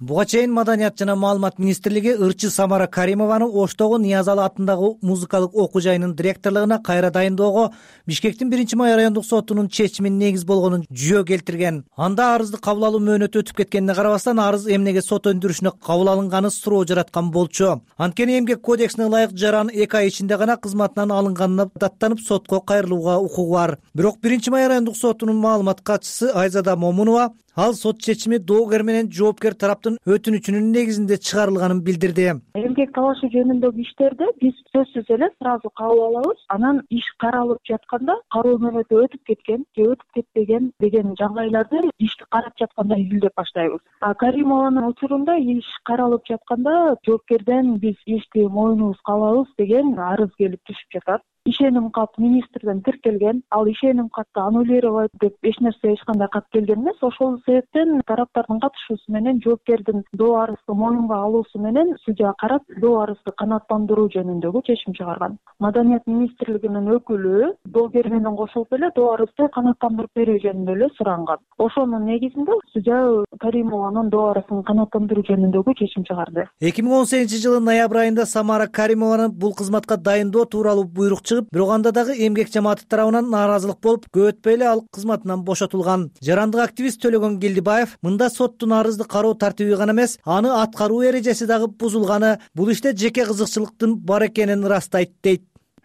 Буга чейин Маданият жана маалымат министрлиги ырчы Самара Каримованы Оштогу Ниязалы атындагы музыкалык окуу жайынын директорлугуна кайра дайындоого Бишкектин биринчи май райондук сотунун чечимин негиз болгонун жүйө келтирген. Анда арызды кабыл алуу мөөнөтү өтүп кеткенине карабастан арыз эмнеге сот өндүрүшүнө кабыл алынганы суроо жараткан болчу. Анткени эмгек кодексине ылайык жаран эки ай ичинде гана кызматынан алынганына даттанып сотко кайрылууга укугу бар. Бирок биринчи май райондук сотунун маалымат катчысы Айзада Момунова ал сот чечими доогер менен жоопкер тараптын өтүнүчүнүн негизинде чыгарылганын билдирди. Эмгек талашы жөнүндөгү иштерди биз сөзсүз эле сразу кабыл алабыз. Анан иш каралып жатканда кароо мөөнөтү өтүп кеткен же өтүп кетпеген деген жагдайларды ишти карап жатканда изилдеп баштайбыз. А Каримованын учурунда иш каралып жатканда жоопкерден биз ишти мойнубузга алабыз деген арыз келип түшүп жатат. ишеним кат министрден тиркелген. Ал ишеним катты аннулировать деп эч нерсе эч кандай кат келген эмес. Ошол себептен тараптардын катышуусу менен жоопкердин доо арызды моюнга алуусу менен судья карап доо арызды канааттандыруу жөнүндөгү чечим чыгарган. Маданият министрлигинин өкүлү доогер менен кошулуп эле доо арызды канааттандырып берүү жөнүндө эле суранган. Ошонун негизинде судья Каримованын доо арызын канааттандыруу жөнүндөгү чечим чыгарды. эки миң он сегизинчи жылы ноябрь айында Самара Каримованы бул кызматка дайындоо тууралуу буйрук чыгып, бирок анда дагы эмгек жамааты тарабынан нааразылык болуп, көп өтпөй эле ал кызматынан бошотулган. Жарандык активист Төлөгөн Келдибаев мында соттун арызды кароо тартиби гана эмес, аны аткаруу эрежеси дагы бузулганы, бул иште жеке кызыкчылыктын бар экенин ырастайт дейт.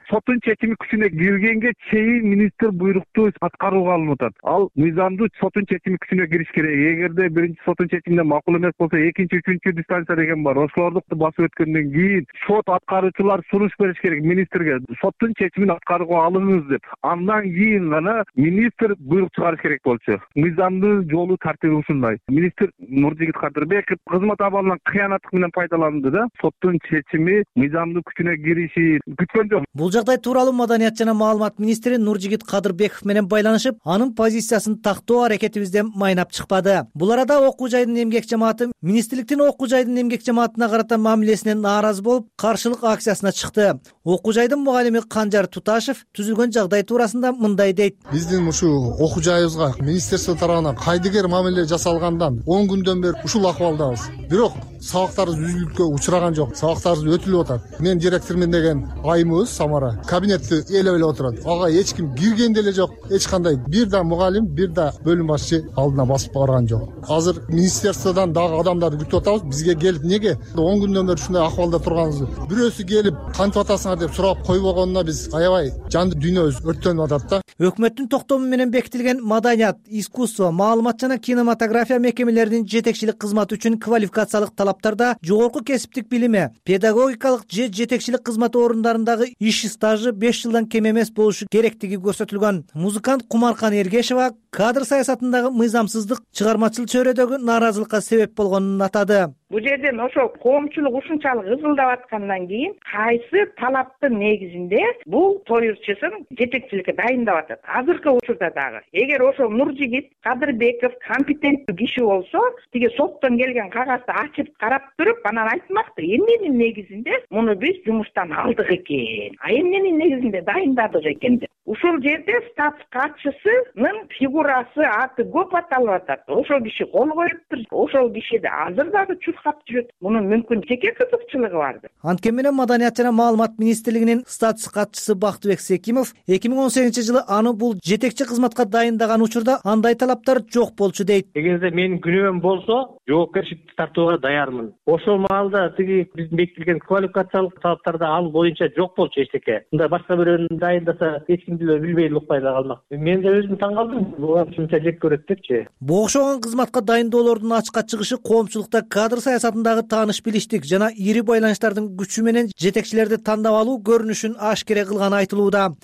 Соттун чечими күчүнө киргенге чейин министр буйрукту аткарууга алынып атат. Ал мыйзамдуу соттун чечими күчүнө кириш керек. Эгерде биринчи соттун чечимине макул эмес болсо, экинчи, үчүнчү дистанция деген бар. Ошолорду басып өткөндөн кийин сот аткаруучулар сунуш бериш керек министрге. Соттун чечимин аткарууга алыңыз деп. Андан кийин гана министр буйрук чыгарыш керек болчу. Мыйзамдуу жолу тартиби ушундай. Министр Нуржигит Кадырбеков кызмат абалынан кыянаттык менен пайдаланды да. Соттун чечими мыйзамдуу күчүнө кириши күткөн жок. Жагдай тууралуу Маданият жана маалымат министри Нуржигит Кадырбеков менен байланышып, анын позициясын тактоо аракетибизден майнап чыкпады. Бул арада окуу жайдын эмгек жамааты министрликтин окуу жайдын эмгек жамаатына карата мамилесинен нааразы болуп, каршылык акциясына чыкты. Окуу жайдын мугалими Канжар Туташев түзүлгөн жагдай туурасында мындай дейт. Биздин ушул окуу жайыбызга министрство тарабынан кайдыгер мамиле жасалгандан он күндөн бери ушул акыбалдабыз. Бирок сабактарыбыз үзүлүккө учураган жок. Сабактарыбыз өтүлүп атат. Мен директормун деген айымыбыз Самара кабинетти ээлеп эле отурат. Ага эч ким кирген деле жок. Эч кандай бир да мугалим, бир да бөлүм башчы алдына басып барган жок. Азыр министрликтен дагы адамдарды күтүп атабыз. Бизге келип неге он күндөн бери ушундай акыбалда турганыбызды бирөөсү келип кантип атасыңар деп сурап койбогонуна биз аябай жанды дүйнөбүз өрттөнүп атат да. Өкмөттүн токтому менен бекитилген маданият, искусство, маалымат жана кинематография мекемелеринин жетекчилик кызматы үчүн квалификациялык талаптарда жогорку кесиптик билими, педагогикалык же жетекчилик кызмат орундарындагы иш стажы беш жылдан кем эмес болушу керектиги көрсөтүлгөн. Музыкант Кумаркан Эргешева кадр саясатындагы мыйзамсыздык чыгармачыл чөйрөдөгү нааразылыкка себеп болгонун атады. Бул жерден ошол коомчулук ушунчалык ызылдап аткандан кийин кайсы талаптын негизинде бул тоюрчусун жетекчиликке дайындап атат. Азыркы учурда дагы эгер ошол Нуржигит Кадырбеков компетенттүү киши болсо, тиги соттон келген кагазды ачып карап туруп, анан айтмакты, эмненин негизинде муну биз жумуштан алдык экен, а эмненин негизинде дайындадык экен деп. Ушул жерде статс катчысынын фигурасы, аты көп аталып атат. Ошол киши кол коюптур. Ошол кишиде азыр дагы чуркап жүрөт. Мунун мүмкүн жеке кызыкчылыгы бардыр. Анткени менен Маданият жана маалымат министрлигинин статс катчысы Бактыбек Секимов эки миң он сегизинчи жылы аны бул жетекчи кызматка дайындаган учурда андай талаптар жок болчу дейт. Эгерде менин күнөөм болсо, жоопкерчиликти тартууга даярмын. Ошол маалда тиги биздин бекитилген квалификациялык талаптарда ал боюнча жок болчу эчтеке. Мындай башка бирөөнү дайындаса эч ким билбей эле укпай да калмак. Мен да өзүм таң калдым. Буга ушунча жек көрөт депчи. Бу окшогон кызматка дайындоолордун ачыкка чыгышы коомчулукта кадр саясатындагы тааныш билиштик жана ири байланыштардын күчү менен жетекчилерди тандап алуу көрүнүшүн ашкере кылганы айтылууда.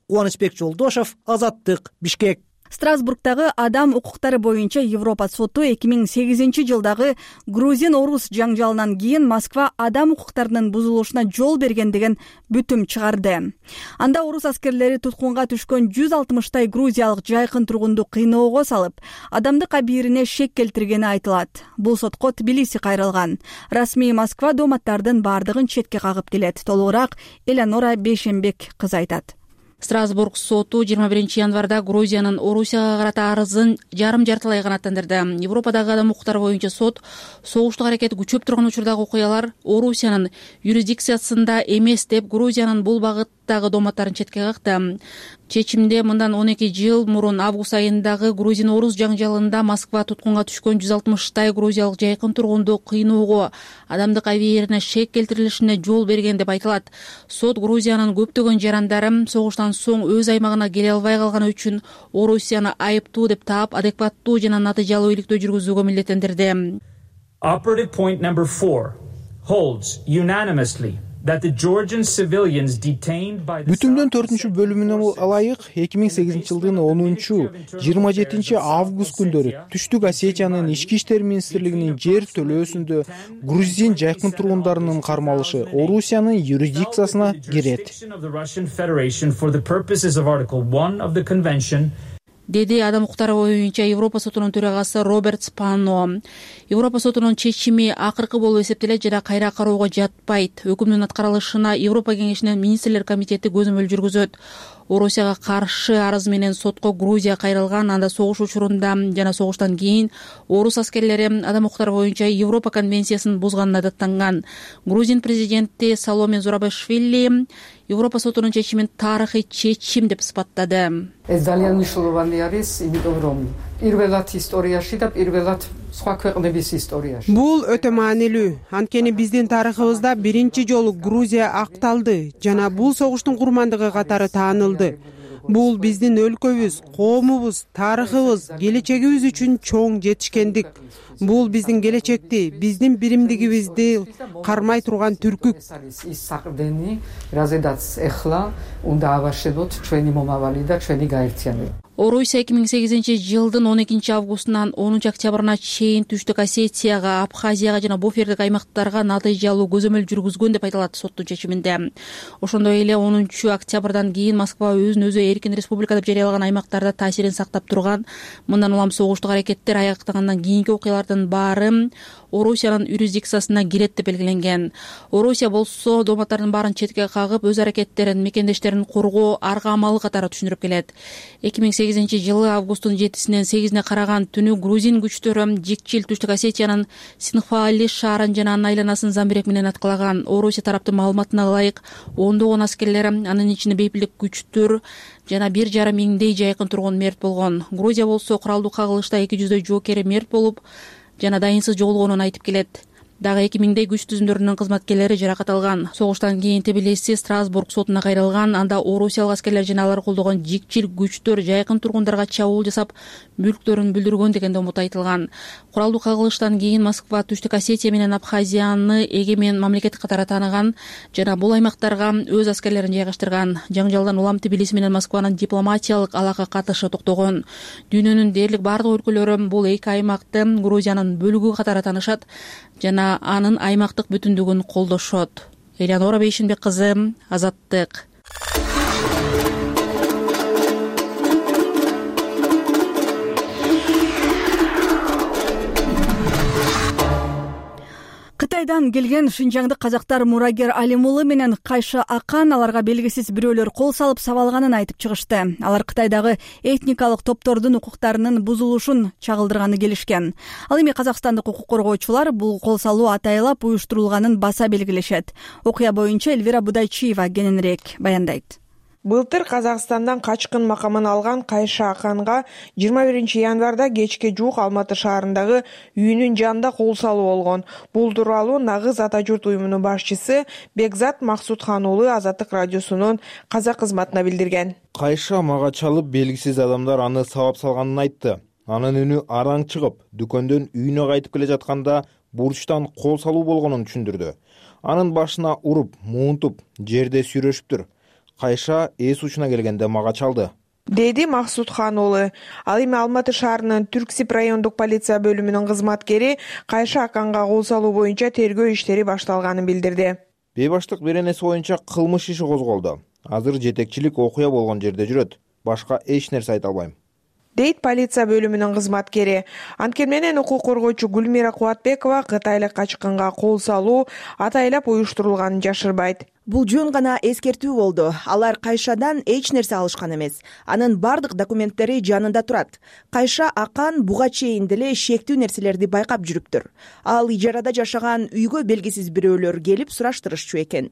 Кубанычбек Жолдошов, Азаттык, Бишкек. Страсбургдагы адам укуктары боюнча Европа соту эки миң сегизинчи жылдагы грузин-орус жаңжалынан кийин Москва адам укуктарынын бузулушуна жол берген деген бүтүм чыгарды. Анда орус аскерлери туткунга түшкөн жүз алтымыштай грузиялык жайкын тургунду кыйноого салып, адамдык абийирине шек келтиргени айтылат. Бул сотко Тбилиси кайрылган. Расмий Москва дооматтардын бардыгын четке кагып келет. Толугураак Элеонора Бейшенбек кызы айтат. Страсбург соту жыйырма биринчи январда Грузиянын Орусияга карата арызын жарым жартылай канааттандырды. Европадагы адам укуктары боюнча сот согуштук аракет күчөп турган учурдагы окуялар Орусиянын юрисдикциясында эмес деп Грузиянын бул багыттагы дооматтарын четке какты. Чечимде мындан он эки жыл мурун август айындагы грузин-орус жаңжалында Москва туткунга түшкөн жүз алтымыштай грузиялык жайкын тургунду кыйноого, адамдык абийирине шек келтирилишине жол берген деп айтылат. Сот Грузиянын көптөгөн жарандары согуштан соң өз аймагына келе албай калганы үчүн Орусияны айыптуу деп таап, адекваттуу жана натыйжалуу иликтөө жүргүзүүгө милдеттендирди. Operative point number four holds unanimously бүтүмдүн төртүнчү бөлүмүнө ылайык эки миң сегизинчи жылдын онунчу жыйырма жетинчи август күндөрү Түштүк Осетиянын ички иштер министрлигинин жер төлөөсүндө грузин жайкын тургундарынын кармалышы Орусиянын юрисдикциясына кирет, деди адам укуктары боюнча Европа сотунун төрагасы Роберт Спано. Европа сотунун чечими акыркы болуп эсептелет жана кайра кароого жатпайт. Өкүмдүн аткарылышына Европа кеңешинин министрлер комитети көзөмөл жүргүзөт. Орусияга каршы арыз менен сотко Грузия кайрылган. Анда согуш учурунда жана согуштан кийин орус аскерлери адам укуктары боюнча Европа конвенциясын бузганына даттанган. Грузин президенти Саломе Зурабишвили Европа сотунун чечимин тарыхый чечим деп сыпаттады. Бул өтө маанилүү, анткени биздин тарыхыбызда биринчи жолу Грузия акталды жана бул согуштун курмандыгы катары таанылды. Бул биздин өлкөбүз, коомубуз, тарыхыбыз, келечегибиз үчүн чоң жетишкендик. Бул биздин келечекти, биздин биримдигибизди кармай турган түркүк. Орусия эки миң сегизинчи жылдын он экинчи августунан онунчу октябрына чейин Түштүк Осетияга, Абхазияга жана буфердик аймактарга натыйжалуу көзөмөл жүргүзгөн деп айтылат соттун чечиминде. Ошондой эле онунчу октябрдан кийин Москва өзүн өзү эркин республика деп жарыялаган аймактарда таасирин сактап турган. Мындан улам согуштук аракеттер аяктагандан кийинки окуялардын баары Орусиянын юрисдикциясына кирет деп белгиленген. Орусия болсо дооматтардын баарын четке кагып, өз аракеттерин, мекендештерин коргоо арга амалы катары түшүндүрүп келет. эки миң сегизинчи жылы августтун жетисинен сегизине караган түнү грузин күчтөрү Жикчил Түштүк Осетиянын Синхвали шаарын жана анын айланасын замбирек менен аткалаган. Орусия тараптын маалыматына ылайык ондогон аскерлер, анын ичинде бейпилдик күчтөр жана бир жарым миңдей жайкын тургун мерт болгон. Грузия болсо куралдуу кагылышта эки жүздөй жоокери мерт болуп жана дайынсыз жоголгонун айтып келет. Дагы эки миңдей күч түзүмдөрүнүн кызматкерлери жаракат алган. Согуштан кийин Тбилиси Страсбург сотуна кайрылган. Анда орусиялык аскерлер жана алар колдогон жикчил күчтөр жайкын тургундарга чабуул жасап, мүлктөрүн бүлдүргөн деген домут айтылган. Куралдуу кагылыштан кийин Москва Түштүк Осетия менен Абхазияны эгемен мамлекет катары тааныган жана бул аймактарга өз аскерлерин жайгаштырган. Жаңжалдан улам Тбилиси менен Москванын дипломатиялык алака катышы токтогон. Дүйнөнүн дээрлик бардык өлкөлөрү бул эки аймакты Грузиянын бөлүгү катары таанышат жана анын аймактык бүтүндүгүн колдошот. Элеонора Бейшинбек кызы, Азаттык. Кытайдан келген шинжаңдык казактар Мурагер Алимулы менен Кайша Акан аларга белгисиз бирөөлөр кол салып сабалганын айтып чыгышты. Алар Кытайдагы этникалык топтордун укуктарынын бузулушун чагылдырганы келишкен. Ал эми казакстандык укук коргоочулар бул кол салуу атайлап уюштурулганын баса белгилешет. Окуя боюнча Эльвира Будайчиева кененирээк баяндайт. Былтыр Казакстандан качкын макамын алган Кайша Аканга жыйырма биринчи январда кечке жуук Алматы шаарындагы үйүнүн жанында кол салуу болгон. Бул тууралуу Нагыз ата журт уюмунун башчысы Бекзат Максутхан уулу Азаттык радиосунун казак кызматына билдирген. Кайша мага чалып, белгисиз адамдар аны сабап салганын айтты. Анын үнү араң чыгып, дүкөндөн үйүнө кайтып келе жатканда бурчтан кол салуу болгонун түшүндүрдү. Анын башына уруп, муунтуп, жерде сүйрөшүптүр. Кайша эс учуна келгенде мага чалды, деди Максутхан уулу. Ал эми Алматы шаарынын Түрксип райондук полиция бөлүмүнүн кызматкери Кайша Аканга кол салуу боюнча тергөө иштери башталганын билдирди. Бейбаштык беренеси боюнча кылмыш иши козголду. Азыр жетекчилик окуя болгон жерде жүрөт. Башка эч нерсе айта албайм, дейт полиция бөлүмүнүн кызматкери. Анткени менен укук коргоочу Гүлмира Кубатбекова кытайлык качкынга кол салуу атайлап уюштурулганын жашырбайт. Бул жөн гана эскертүү болду. Алар Кайшадан эч нерсе алышкан эмес. Анын бардык документтери жанында турат. Кайша Акан буга чейин деле шектүү нерселерди байкап жүрүптүр. Ал ижарада жашаган үйгө белгисиз бирөөлөр келип сураштырышчу экен.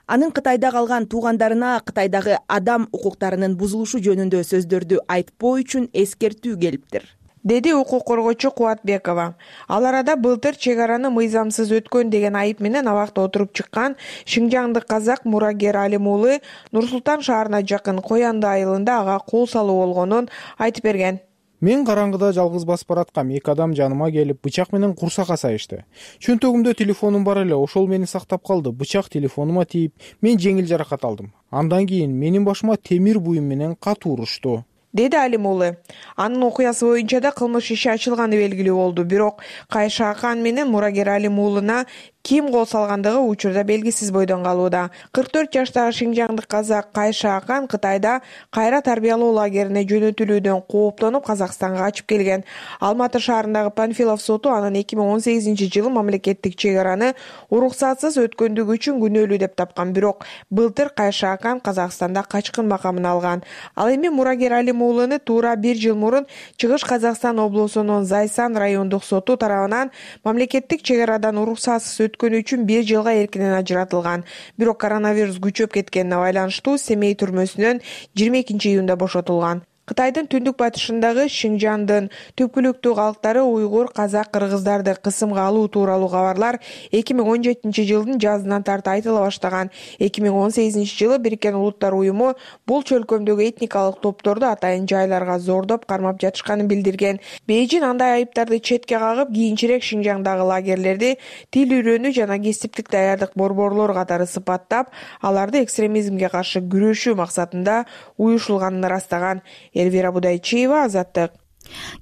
Анын Кытайда калган туугандарына Кытайдагы адам укуктарынын бузулушу жөнүндө сөздөрдү айтпоо үчүн эскертүү келиптир, деди укук коргоочу Кубатбекова. Ал арада былтыр чек араны мыйзамсыз өткөн деген айып менен абакта отуруп чыккан шинжаңдык казак Мурагер Алим уулу Нур Султан шаарына жакын Коянды айылында ага кол салуу болгонун айтып берген. Мен караңгыда жалгыз басып бараткам. Эки адам жаныма келип бычак менен курсакка сайышты. Чөнтөгүмдө телефонум бар эле, ошол мени сактап калды. Бычак телефонума тийип, мен жеңил жаракат алдым. Андан кийин менин башыма темир буюм менен катуу урушту, деди Алим уулу. Анын окуясы боюнча да кылмыш иши ачылганы белгилүү болду. Бирок Кайша Акан менен мурагер Алим уулуна ким кол салгандыгы учурда белгисиз бойдон калууда. кырк төрт жаштагы шинжаңдык казак Кайша Акан Кытайда кайра тарбиялоо лагерине жөнөтүлүүдөн кооптонуп Казакстанга качып келген. Алматы шаарындагы Панфилов соту анын эки миң он сегизинчи жылы мамлекеттик чек араны уруксатсыз өткөндүгү үчүн күнөөлүү деп тапкан. Бирок былтыр Кайша Акан Казакстанда качкын макамын алган. Ал эми мурагер Алим уулуну туура бир жыл мурун Чыгыш Казакстан облусунун Зайсан райондук соту тарабынан мамлекеттик чек арадан уруксатсыз өткөнү үчүн бир жылга эркинен ажыратылган. Бирок коронавирус күчөп кеткенине байланыштуу Семей түрмөсүнөн жыйырма экинчи июнда бошотулган. Кытайдын түндүк батышындагы Шинжандын түпкүлүктүү калктары уйгур, казак, кыргыздарды кысымга алуу тууралуу кабарлар эки миң он жетинчи жылдын жазынан тарта айтыла баштаган. эки миң он сегизинчи жылы Бириккен Улуттар уюму бул чөлкөмдөгү этникалык топторду атайын жайларга зордоп кармап жатышканын билдирген. Бейжин андай айыптарды четке кагып, кийинчерээк Шинжаңдагы лагерлерди тил үйрөнүү жана кесиптик даярдык борборлору катары сыпаттап, аларды экстремизмге каршы күрөшүү максатында уюшулганын ырастаган. Эльвира Будайчиева, Азаттык.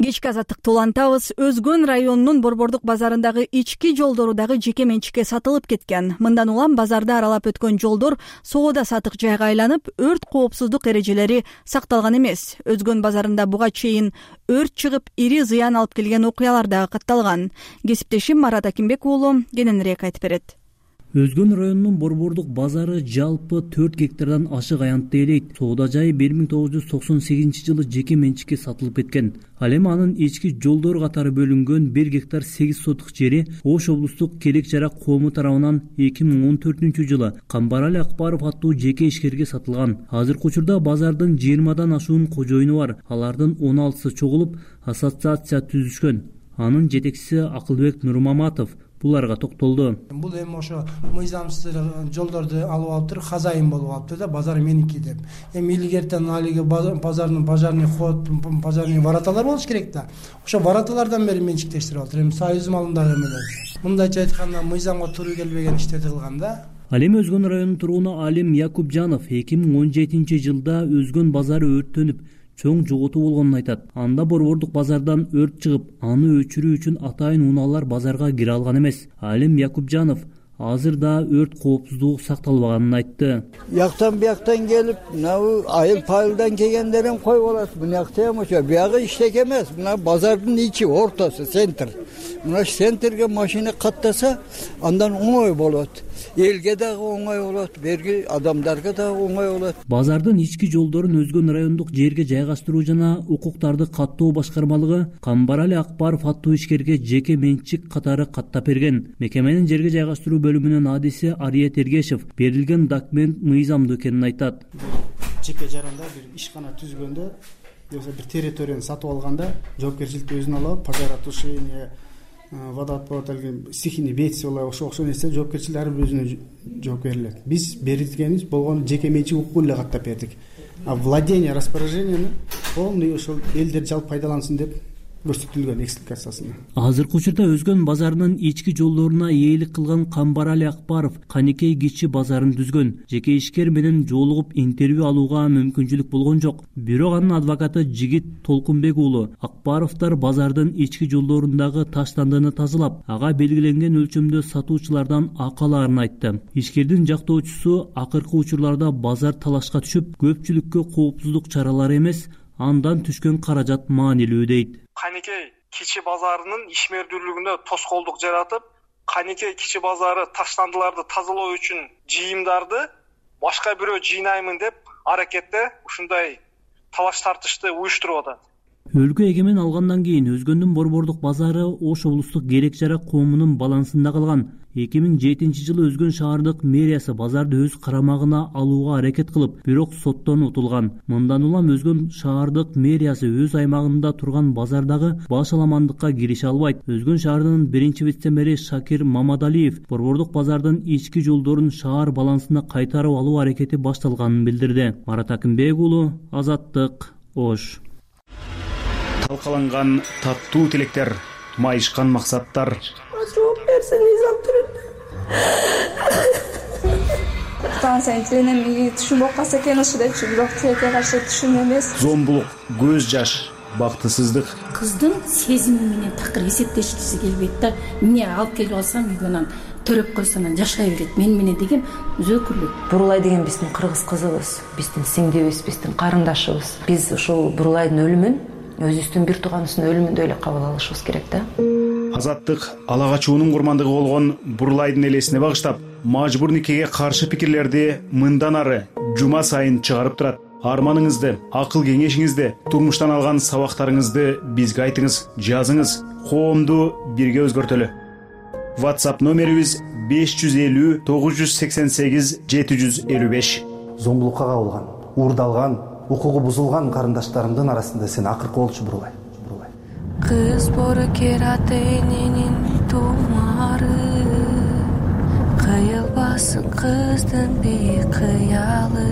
Кечки азаттыкты улантабыз. Өзгөн районунун Борбордук базарындагы ички жолдору дагы жеке менчикке сатылып кеткен. Мындан улам базарды аралап өткөн жолдор соода сатык жайга айланып, өрт коопсуздук эрежелери сакталган эмес. Өзгөн базарында буга чейин өрт чыгып, ири зыян алып келген окуялар дагы катталган. Кесиптешим Марат Акимбек уулу кененирээк айтып берет. Өзгөн районунун Борбордук базары жалпы төрт гектардан ашык аянтты ээлейт. Соода жайы бир миң тогуз жүз токсон сегизинчи жылы жеке менчикке сатылып кеткен. Ал эми анын ички жолдор катары бөлүнгөн бир гектар сегиз сотук жери Ош облустук Келек Жарак коому тарабынан эки миң он төртүнчү жылы Камбарали Акбаров аттуу жеке ишкерге сатылган. Азыркы учурда базардын жыйырмадан ашуун кожоюну бар. Алардын он алтысы чогулуп ассоциация түзүшкөн. Анын жетекчиси Акылбек Нурмаматов буларга токтолду. Бул эми ошо мыйзамсыз жолдорду алып алыптыр, хозяин болуп алыптыр да, базар меники деп. Эми илгертен алиги базардын пожарный ход, пожарный вороталар болуш керек да. Ошо вороталардан бери менчиктештирип алыптыр. Эми союз малындагы эмелер. Мындайча айтканда мыйзамга туура келбеген иштерди кылган да. Ал эми Өзгөн районунун тургуну Алим Якупжанов эки миң он жетинчи жылда Өзгөн базары өрттөнүп, чоң жоготуу болгонун айтат. Анда Борбордук базардан өрт чыгып, аны өчүрүү үчүн атайын унаалар базарга кире алган эмес. Алим Якупжанов азырда өрт коопсуздугу сакталбаганын айтты. Яктан бияктан келип, мына айыл пайылдан келгендерин коюп алат. Мынакта эми ошо биягы иштек эмес. Мына базардын ичи, ортосу, центр. Мына центрге машина каттаса, андан оңой болот. Элге дагы оңой болот, берги адамдарга дагы оңой болот. Базардын ички жолдорун Өзгөн райондук жерге жайгаштыруу жана укуктарды каттоо башкармалыгы Камбарали Акбаров аттуу ишкерге жеке менчик катары каттап берген. Мекеменин жерге жайгаштыруу бөлүмүнүн адиси Ария Тергешев берилген документ мыйзамдуу экенин айтат. Жеке жаранда бир ишкана түзгөндө, же бир территорияны сатып алганда жоопкерчиликти өзүнө алып, пожаротушение, водоотвод, стихийный бедствие, ошо окшоо нерсе жоопкерчилик ар бир өзүнө жооп берилет. Биз берилгенибиз болгону жеке менчик укугун эле каттап бердик. А владение, распоряжениени полный ошол элдер жалпы пайдалансын деп көрсөтүлгөн экспликациясында. Азыркы учурда Өзгөн базарынын ички жолдоруна ээлик кылган Камбарали Акбаров Каникей кичи базарын түзгөн. Жеке ишкер менен жолугуп интервью алууга мүмкүнчүлүк болгон жок. Бирок анын адвокаты Жигит Толкунбек уулу Акбаровдор базардын ички жолдорундагы таштандыны тазалап, ага белгиленген өлчөмдө сатуучулардан акы аларын айтты. Ишкердин жактоочусу акыркы учурларда базар талашка түшүп, көпчүлүккө коопсуздук чаралары эмес, андан түшкөн каражат маанилүү дейт. Каникей кичи базарынын ишмердүүлүгүнө тоскоолдук жаратып, Каникей кичи базары таштандыларды тазалоо үчүн жыйымдарды башка бирөө жыйнаймын деп аракетте ушундай талаш тартышты уюштуруп атат. Өлкө эгемен алгандан кийин Өзгөндүн Борбордук базары Ош облустук Келек Жарак коомунун балансында калган. эки миң жетинчи жылы Өзгөн шаардык мэриясы базарды өз карамагына алууга аракет кылып, бирок соттон утулган. Мындан улам Өзгөн шаардык мэриясы өз аймагында турган базардагы баш аламандыкка кирише албайт. Өзгөн шаарынын биринчи вице-мэри Шакир Мамадалиев Борбордук базардын ички жолдорун шаар балансына кайтарып алуу аракети башталганын билдирди. Марат Акимбек уулу, Азаттык, Ош. талкаланган таттуу тилектер, майышкан максаттар. Жооп берсе Низам түрүндө. Станция тиленем түшүм болуп калса экен ушу депчи, бирок тилекке каршы түшүм эмес. Зомбулук, көз жаш, бактысыздык. Кыздын сезими менен такыр эсептешкиси келбейт да. Эмне алып келип алсам үйгөнөн төрөп койсо анан жашай берет мен менен деген өзөкүлүк. Бурулай деген биздин кыргыз кызыбыз, биздин сиңдибиз, биздин карындашыбыз. Биз ушул Бурулайдын өлүмүн өзүбүздүн бир тууганыбыздын өлүмүндөй эле кабыл алышыбыз керек да. Азаттык ала качуунун курмандыгы болгон Бурулайдын элесине багыштап, мажбур никеге каршы пикирлерди мындан ары жума сайын чыгарып турат. Арманыңызды, акыл кеңешиңизди, турмуштан алган сабактарыңызды бизге айтыңыз, жазыңыз. Коомду бирге өзгөртөлү. WhatsApp номерибиз беш жүз элүү тогуз жүз сексен сегиз жети жүз элүү беш. Зомбулукка кабылган, уурдалган, укугу бузулган карындаштарымдын арасында сен акыркы болчу Бурулай. Кыз бору керат эненин тумары, кыйылбасын кыздын бейкыялы.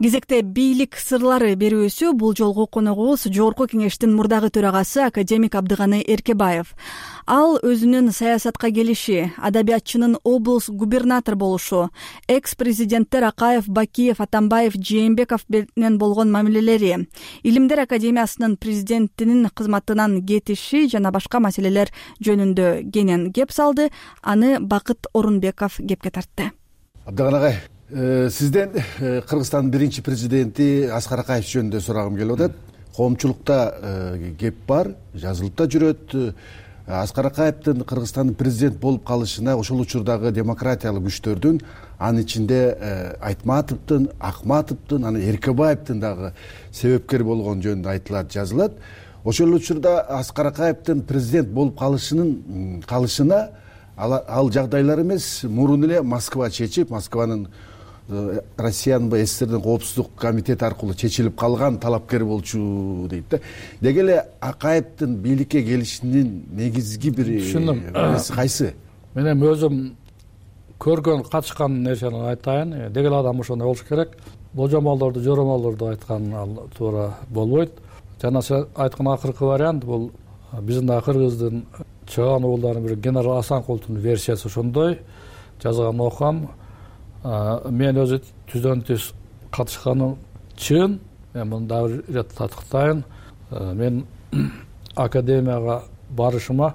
Кезекте бийлик сырлары берүүсү. Бул жолку коногубуз Жогорку Кеңештин мурдагы төрагасы академик Абдыганы Эркебаев. Ал өзүнүн саясатка келиши, адабиятчынын облус губернатор болушу, экс-президенттер Акаев, Бакиев, Атамбаев, Жээнбеков менен болгон мамилелери, Илимдер академиясынын президентинин кызматынан кетиши жана башка маселелер жөнүндө кенен кеп салды. Аны Бакыт Орунбеков кепке тартты. Абдыган агай, сизден Кыргызстандын биринчи президенти Аскар Акаев жөнүндө сурагым келип атат. Коомчулукта кеп бар, жазылып да жүрөт. Аскар Акаевдин Кыргызстандын президент болуп калышына ошол учурдагы демократиялык күчтөрдүн, анын ичинде Айтматовдун, Акматовдун, анан Эркебаевдин дагы себепкер болгон жөнүндө айтылат, жазылат. Ошол учурда Аскар Акаевдин президент болуп калышынын калышына ал жагдайлар эмес, мурун эле Москва чечип, Москванын Россиянын СССРдин коопсуздук комитети аркылуу чечилип калган талапкер болчу дейт да. Деги эле Акаевдин бийликке келишинин негизги бир нерси кайсы? Мен эми өзүм көргөн, катышкан нерсени айтайын. Деги эле адам ошондой болуш керек. Божомолдорду, жоромолдорду айткан ал туура болбойт. Жана сен айткан акыркы вариант бул биздин дагы кыргыздын чыган уулдарынын бири генерал Асанкуловдун версиясы ошондой. Жазган окугам. Мен өзү түздөн түз катышканым чын. Мен муну дагы ирет татыктайын. Мен академияга барышыма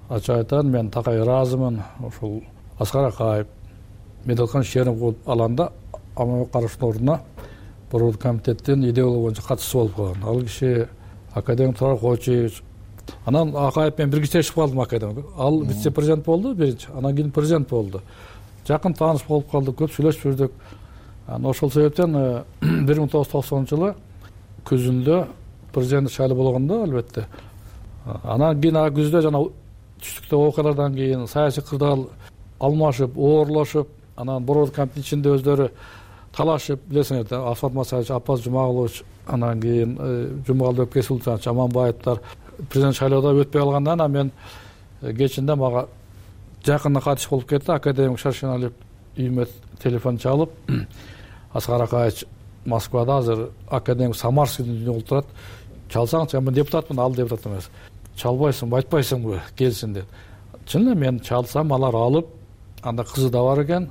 ачык айтайын, мен такай ыраазымын. Ошол Аскар Акаев медалкан шерим кылып алганда Аманбек Карашевдин ордуна Борбордук комитеттин идеология боюнча катчысы болуп калган. Ал киши академик Турар Койчуевич. Анан Акаев менен бирге чечип калдым академик. Ал вице-президент болду биринчи, анан кийин президент болду. Жакын тааныш болуп калдык, көп сүйлөшүп жүрдүк. Ошол себептен бир миң тогуз жүз токсонунчу жылы күзүндө президент шайлоо болгондо албетте. Анан кийин күздө жана түштүктө окуялардан кийин саясий кырдаал алмашып, оорлошуп, анан Борбордук комитеттин ичинде өздөрү талашып, билесиңер да, Асфат Масаевич, Аппаз Жумагулович, анан кийин Жумагулбек Кесулчанович, Аманбаевдер президент шайлоодо өтпөй калгандан анан мен кечинде мага жакында катыш болуп кетти. Академик Шаршеналиев үйүмө телефон чалып, Аскар Акаевич Москвада азыр академик Самарскийдин үйүндө отурат. Чалсаңчы, мен депутатмын, ал депутат эмес. Чалбайсыңбы, айтпайсыңбы, келсин деп. Чын эле мен чалсам, алар алып, анда кызы да бар экен.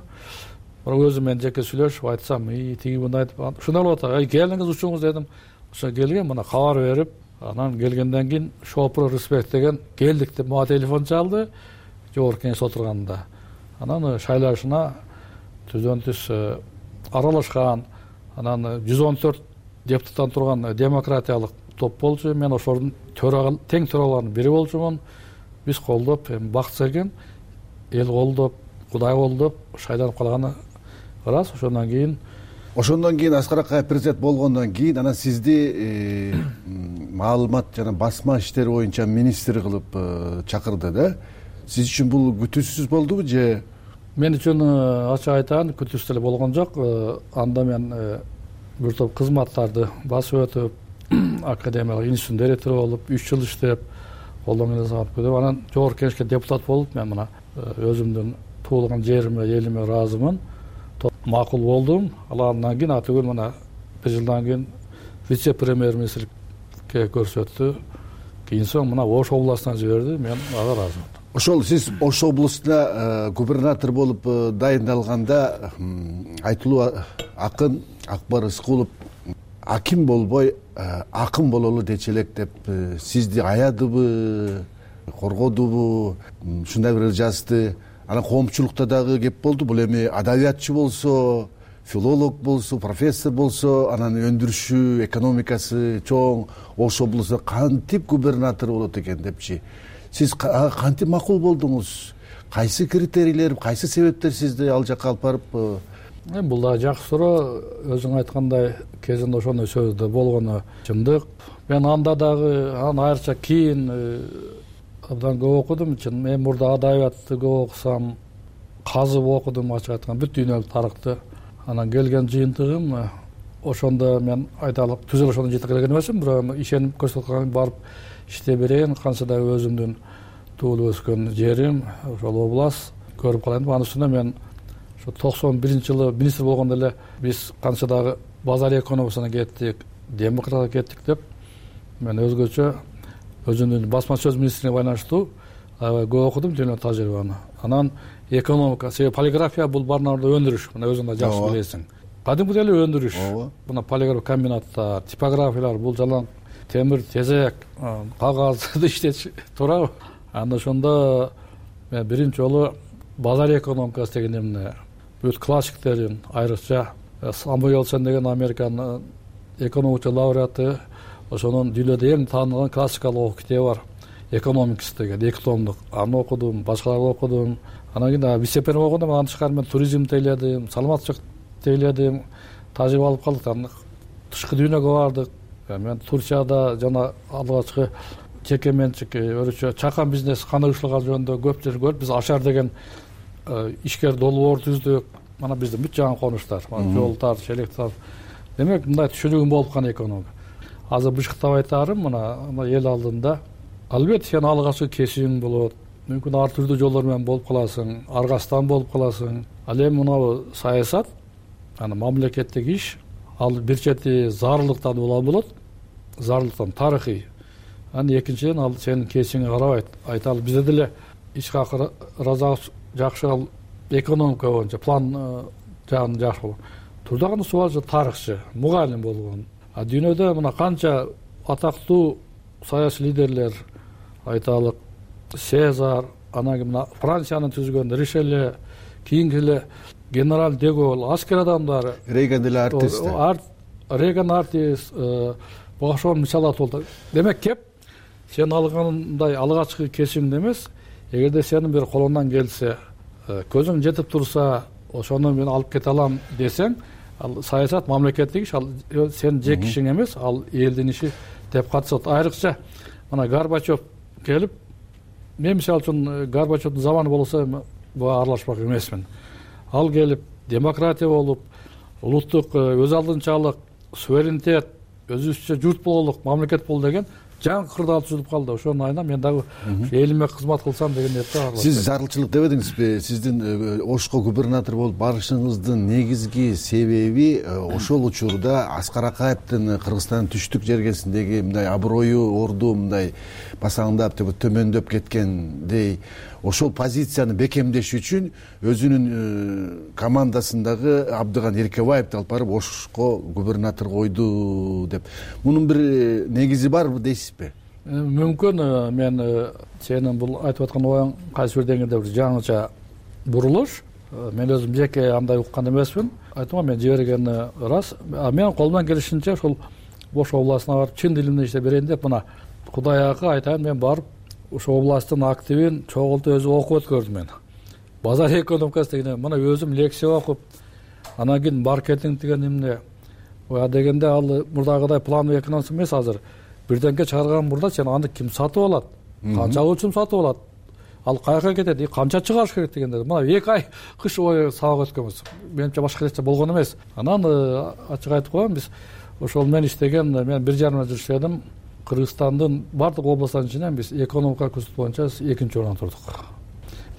Бирок өзүм мен жеке сүйлөшүп айтсам, "И, тиги мындай" айтып, ушундай болуп атат. "Ай, келиңиз учуңуз" дедим. Ошо келген, мына кабар берип, анан келгенден кийин Шопур Респект деген келдик деп мага телефон чалды. Жогорку Кеңеш отурганда. Анан шайлашына түздөн түз аралашкан, анан жүз он төрт депутаттан турган демократиялык топ болчу. Мен ошолордун төрагал тең төраларынын бири болчумун. Биз колдоп, бакыт серген, эл колдоп, Кудай колдоп шайланып калганы ырас. Ошондон кийин Ошондон кийин Аскар Акаев президент болгондон кийин анан сизди маалымат жана басма иштери боюнча министр кылып чакырды да. Сиз үчүн бул күтүүсүз болдубу же? Мен үчүн ачык айтайын, күтүүсүз эле болгон жок. Анда мен бир топ кызматтарды басып өтүп, академиялык институттун директору болуп, үч жыл иштеп, колдон келсе алып кетип анан жогорку кеңешке депутат болуп мен мына өзүмдүн туулган жериме элиме ыраазымын. Макул болдум. Ал андан кийин атүгүл мына бир жылдан кийин вице премьер министрликке көрсөттү. Кийин соң мына Ош областына жиберди. Мен ага ыраазымын. Ошол сиз Ош областына губернатор болуп дайындалганда айтылуу акын Акбар Рыскулов аким болбой акын бололу дечи элек деп сизди аядыбы, коргодубу, ушундай бир жазды. Анан коомчулукта дагы кеп болду. Бул эми адабиятчы болсо, филолог болсо, профессор болсо, анан өндүрүшү, экономикасы чоң Ош облусуна кантип губернатор болот экен депчи. Сиз кантип макул болдуңуз? Кайсы критерийлер, кайсы себептер сизди ал жакка алып барып? Эми бул дагы жакшы суроо. Өзүң айткандай кезинде ошондой сөздө болгону чындык. Мен анда дагы анан айрыкча кийин абдан көп окудум. Мен мурда адабиятты көп окусам, казып окудум, ачык айтканда бүт дүйнөлүк тарыхты. Анан келген жыйынтыгым ошондо мен айталык түзүл ошондо жетип келген эмесмин, бирок ишенип көрсөткөн барып иштей берейин. Канча да өзүмдүн туулуп өскөн жерим ошол област көрүп калайын деп. Анын үстүнө мен ошо токсон биринчи жылы министр болгондо эле биз канча дагы базар экономикасына кеттик, демократияга кеттик деп мен өзгөчө өзүмдүн басма сөз министрлигине байланыштуу аябай көп окудум дүйнөлүк тажрыйбаны. Анан экономика, себеби полиграфия бул баарында өндүрүш. Мына өзүң да жакшы билесиң. Кадимки эле өндүрүш. Мына полиграф комбинаттар, типографиялар, бул жалаң темир, тезек, кагазды иштетиш туурабы? Анда ошондо мен биринчи жолу базар экономикасы деген эмне бүт классиктерин, айрыкча Самуэл Джонсон деген Американын экономика лауреаты, ошонун дүйнөдө эң таанылган классикалык китеби бар, Economics деген эки томдук. Аны окудум, башкаларды окудум. Анан кийин вице-премьер болгондо андан тышкары мен туризмди тейледим, саламаттчылык тейледим, тажрыйба алып калдык. Анан тышкы дүйнөгө бардык. Мен Турцияда жана алгачкы жеке менчик өрүчө чакан бизнес кандай ушлаган жөнүндө көп жер көрүп, биз Ашар деген ишкер долбоор түздүк. Мана биздин бүт жаңы конуштар, жолдор, шелектер. Демек, мындай түшүнүгүм болуп калган экономика. Азыр бышыктап айтарым, мына эл алдында албетте сен алгачкы кесибиң болот. Мүмкүн ар түрдүү жолдор менен болуп каласың, аргастан болуп каласың. Ал эми мына саясат, аны мамлекеттик иш, ал бир чети зарылдыктан ула болот, зарылдыктан тарыхый. Анан экинчиден ал сенин кесибиңе карабайт. Айталы бизде деле ишке акыры жакшы ал экономика боюнча план жагын жакшы болгон. Турдаган суалчы тарыхчы, мугалим болгон. А дүйнөдө мына канча атактуу саясий лидерлер, айталык Сезар, анан мына Франциянын түзгөн Ришеле, кийинки эле генерал де Голль, аскер адамдары, Рейган деле артист. Рейган артист, ошол мисалдар болду. Демек кеп сен алгандай алгачкы кесимде эмес, эгерде сенин бир колуңдан келсе, көзүң жетип турса, ошону мен алып кете алам десең, ал саясат мамлекеттик иш, ал сен жеке ишиң эмес, ал элдин иши деп катышат. Айрыкча мына Горбачев келип, мен мисалы үчүн Горбачевдун заманы болсо буга аралашпак эмесмин. Ал келип демократия болуп, улуттук өз алдынчалык, суверенитет, өзүбүзчө журт бололук, мамлекет болу деген жаңы кырдаал түзүлүп калды. Ошонун айынан мен дагы элиме кызмат кылсам деген ниетте бар. Сиз зарылчылык дебедиңизби? Сиздин Ошко губернатор болуп барышыңыздын негизги себеби ошол учурда Аскар Акаевдин Кыргызстандын түштүк жергесиндеги мындай аброю, орду мындай басаңдап, төмөндөп кеткендей ошол позицияны бекемдеш үчүн өзүнүн командасындагы Абдыган Эркебаевди алып барып Ошко губернатор койду деп. Мунун бир негизи барбы дейсизби? Мүмкүн мен сенин бул айтып аткан оюң кайсы бир деңгээлде бир жаңыча бурулуш. Мен өзүм жеке андай уккан эмесмин. Айтам, мен жибергени ырас. Мен колумдан келишинче ошол Ош областына барып чын дилимде иштеп берейин деп, мына Кудайга айтайын, мен барып ошол областтын активин чогултуп өзү окуп өткөрдүм мен. Базар экономикасы деген мына өзүм лекция окуп, анан кийин маркетинг деген эмне дегенде ал мурдагыдай плановый экономика эмес азыр. Бирденке чыгарган мурда сен аны ким сатып алат? Канчалык үчүн сатып алат? Ал каяка кетет? Канча чыгарыш керек дегенде мына эки ай кыш ой сабак өткөнбүз. Менимче башка нерсе болгон эмес. Анан ачык айтып коеюн, биз ошол мен иштеген, мен бир жарым жыл иштедим. Кыргызстандын баардык областтарынын ичинен биз экономика көрсөтүү боюнча экинчи орунда турдук.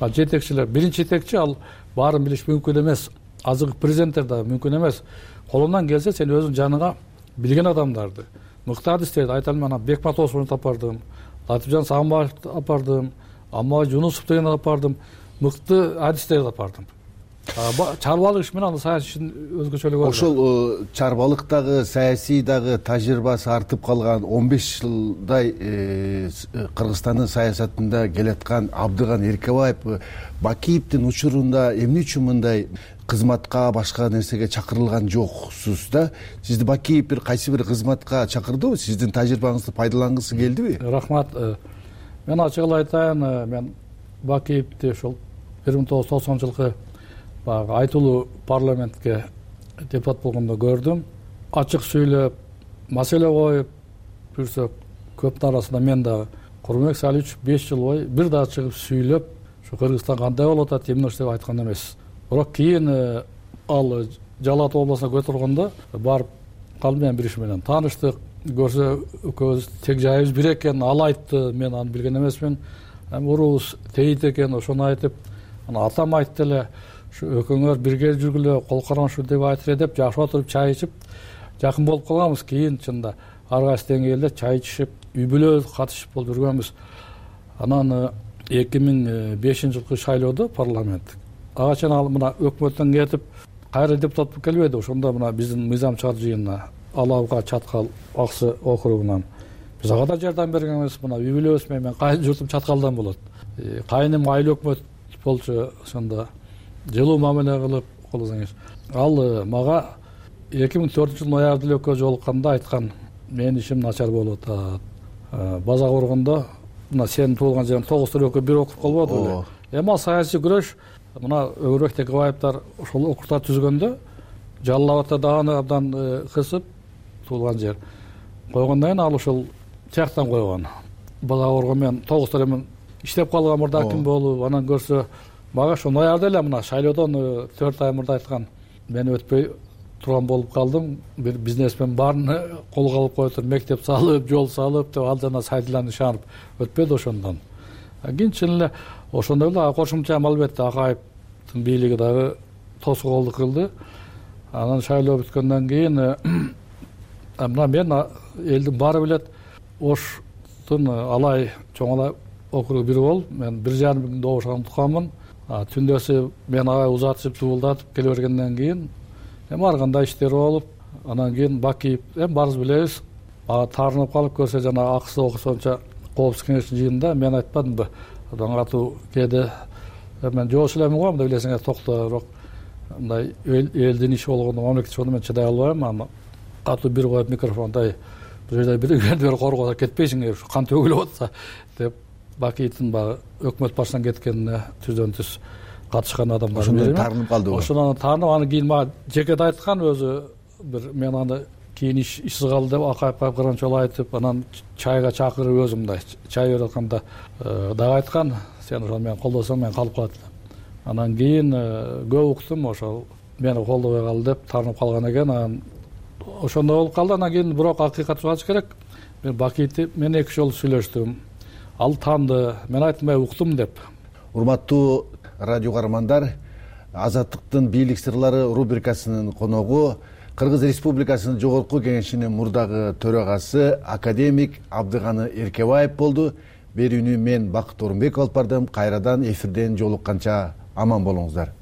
Жетекчилер биринчи жетекчи ал баарын билиш мүмкүн эмес. Азыркы президенттер да мүмкүн эмес. Колунан келсе сен өзүң жаныңа билген адамдарды, мыкты адистерди айталым, анан Бекматовду апардым, Латифжан Сагынбаевди апардым, Аммабай Жунусовду деген апардым, мыкты адистерди апардым. Чарбалык иш менен аны саясий ишин өзгөчөлүгү бар. Ошол чарбалыктагы саясий дагы тажрыйбасы артып калган он беш жылдай Кыргызстандын саясатында келаткан Абдыган Эркебаев Бакиевдин учурунда эмне үчүн мындай кызматка, башка нерсеге чакырылган жоксуз да? Сизди Бакиев бир кайсы бир кызматка чакырдыбы? Сиздин тажрыйбаңызды пайдалангысы келдиби? Рахмат. Мен ачык эле айтайын, мен Бакиевди ошол бир миң тогуз жүз токсонунчу жылкы баягы айтылуу парламентке депутат болгондо көрдүм. Ачык сүйлөп, маселе коюп жүрсөк, көптүн арасында мен дагы Курманбек Салиевич беш жыл бою бир дагы чыгып сүйлөп, ушу Кыргызстан кандай болуп атат, эмне деп айткан эмес. Бирок кийин ал Жалал Абад областына көтөрүлгөндө барып калдым, мен бир иш менен тааныштык. Көрсө экөөбүз тег жайыбыз бир экен, ал айтты, мен аны билген эмесмин. Урубуз тейит экен, ошону айтып, анан атам айтты эле, экөөңөр бирге жүргүлө, кол кармашуу деп айтыр деп жашап отуруп чай ичип жакын болуп калганбыз. Кийин чында ар кайсы деңгээлде чай ичишип, үй бүлө катышып болуп жүргөнбүз. Анан эки миң бешинчи жылкы шайлоодо парламент ага чейин ал мына өкмөттөн кетип кайра депутат болуп келбеди. Ошондо мына биздин мыйзам чыгар жыйынына Алабга, Чаткал, Аксы округунан биз ага да жардам бергенбиз. Мына үй бүлөбүз менен кайын журтум Чаткалдан болот. Кайыным айыл өкмөт болчу, ошондо жылуу мамиле кылып колдосоңуз. Ал мага эки миң төртүнчү жылы ноябрда эле экөө жолукканда айткан, менин ишим начар болуп атат. База кургондо мына сенин туулган жериң тогуз төрөккө бир округ болбоду беле. Эми ал саясий күрөш, мына Өгөрбек Текебаевдер ошол округта түзгөндө Жалал Абадта дагы абдан кысып туулган жер койгондон кийин ал ошол тияктан койгон. База кургон мен тогуз төрөмүн иштеп калган мурда аким болуп, анан көрсө мага ошо ноябрда эле мына шайлоодон төрт ай мурда айткан, мен өтпөй турган болуп калдым. Бир бизнесмен баарын колго алып коюптур, мектеп салып, жол салып деп, ал жана сайдылан ишанып өтпөдү ошондон. Кийин чын эле ошондой эле кошумча албетте Акаевдин бийлиги дагы тоскоолдук кылды. Анан шайлоо бүткөндөн кийин мына мен элдин баары билет, Оштун Алай чоң Алай округу бир болуп, мен бир жарым күндө добушкан тукаммын. Түндөсү мен ага узатышып дуулдатып келе бергенден кийин эми ар кандай иштер болуп, анан кийин Бакиев, эми баарыбыз билебиз, ага таарынып калып көрсө жана Аксы окуусунча коопсуздук кеңештин жыйынында мен айтпадымбы, абдан катуу кээде мен жоош элемин го, мында билесиңер, токто, бирок мындай элдин иши болгондо, мамлекет иши болгондо мен чыдай албайм. Аны катуу бир коюп микрофондай бир жерде бир бир коргоодо кетпейсиңер, ушу кан төгүлүп атса деп Бакиевдин баягы өкмөт башынан кеткенине түздөн түз катышкан адамдар. Ошондон таарынып калдыбы? Ошондон таарынып, аны кийин мага жекет айткан өзү, бир мен аны кийин ишсиз калды деп Акаевга кыргын жолу айтып, анан чайга чакырып өзү мындай чай берип атканда дагы айткан, сен ошол менен колдосоң мен калып калат элем. Анан кийин көп уктум, ошол мени колдобой калды деп таарынып калган экен. Анан ошондой болуп калды. Анан кийин бирок акыйкатты айтыш керек, мен Бакиевди мен эки жолу сүйлөштүм. Ал тааныды, мен айттым, уктум деп. Урматтуу радио каармандар, Азаттыктын бийлик сырлары рубрикасынын коногу Кыргыз Республикасынын Жогорку Кеңешинин мурдагы төрагасы академик Абдыганы Эркебаев болду. Берүүнү мен Бакыт Орунбеков алып бардым. Кайрадан эфирден жолукканча аман болуңуздар.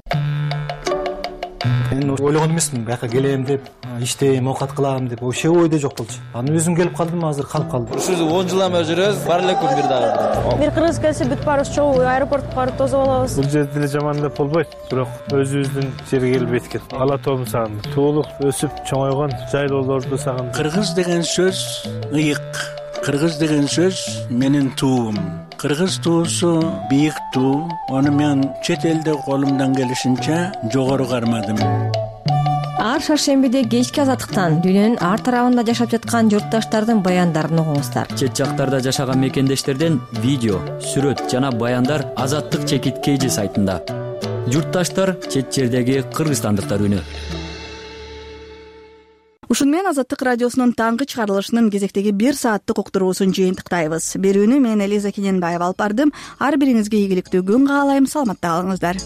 Мен ойлогон эмесмин, бияка келем деп, иштейм, оокат кылам деп, вообще ойдо жок болчу. Анан өзүм келип калдым, азыр калып калдым. Ушул он жылдан бери жүрөбүз, бар эле күн бир дагы. Бир кыргыз келсе бүт баарыбыз чогуу аэропортко барып тосуп алабыз. Бул жерде деле жаман деп болбойт, бирок өзүбүздүн жерге келип эткет. Ала тоомду сагындым. Туулуп, өсүп, чоңойгон жайлоолорду сагындым. Кыргыз деген сөз ыйык. Кыргыз деген сөз менин туум. Кыргыз туусу бийик туу. Аны мен чет элде колумдан келишинче жогору кармадым. Ар шаршембиде кечки Азаттыктан дүйнөнүн ар тарабында жашап жаткан журтташтардын баяндарын угуңуздар. Чет жактарда жашаган мекендештерден видео, сүрөт жана баяндар Азаттык чекит кейжи сайтында. Журтташтар чет жердеги кыргызстандыктар үнү. ушуну менен Азаттык радиосунун таңкы чыгарылышынын кезектеги бир сааттык уктуруусун жыйынтыктайбыз. Берүүнү мен Элиза Кененбаева алып бардым. Ар бириңизге ийгиликтүү күн каалайм. Саламатта калыңыздар.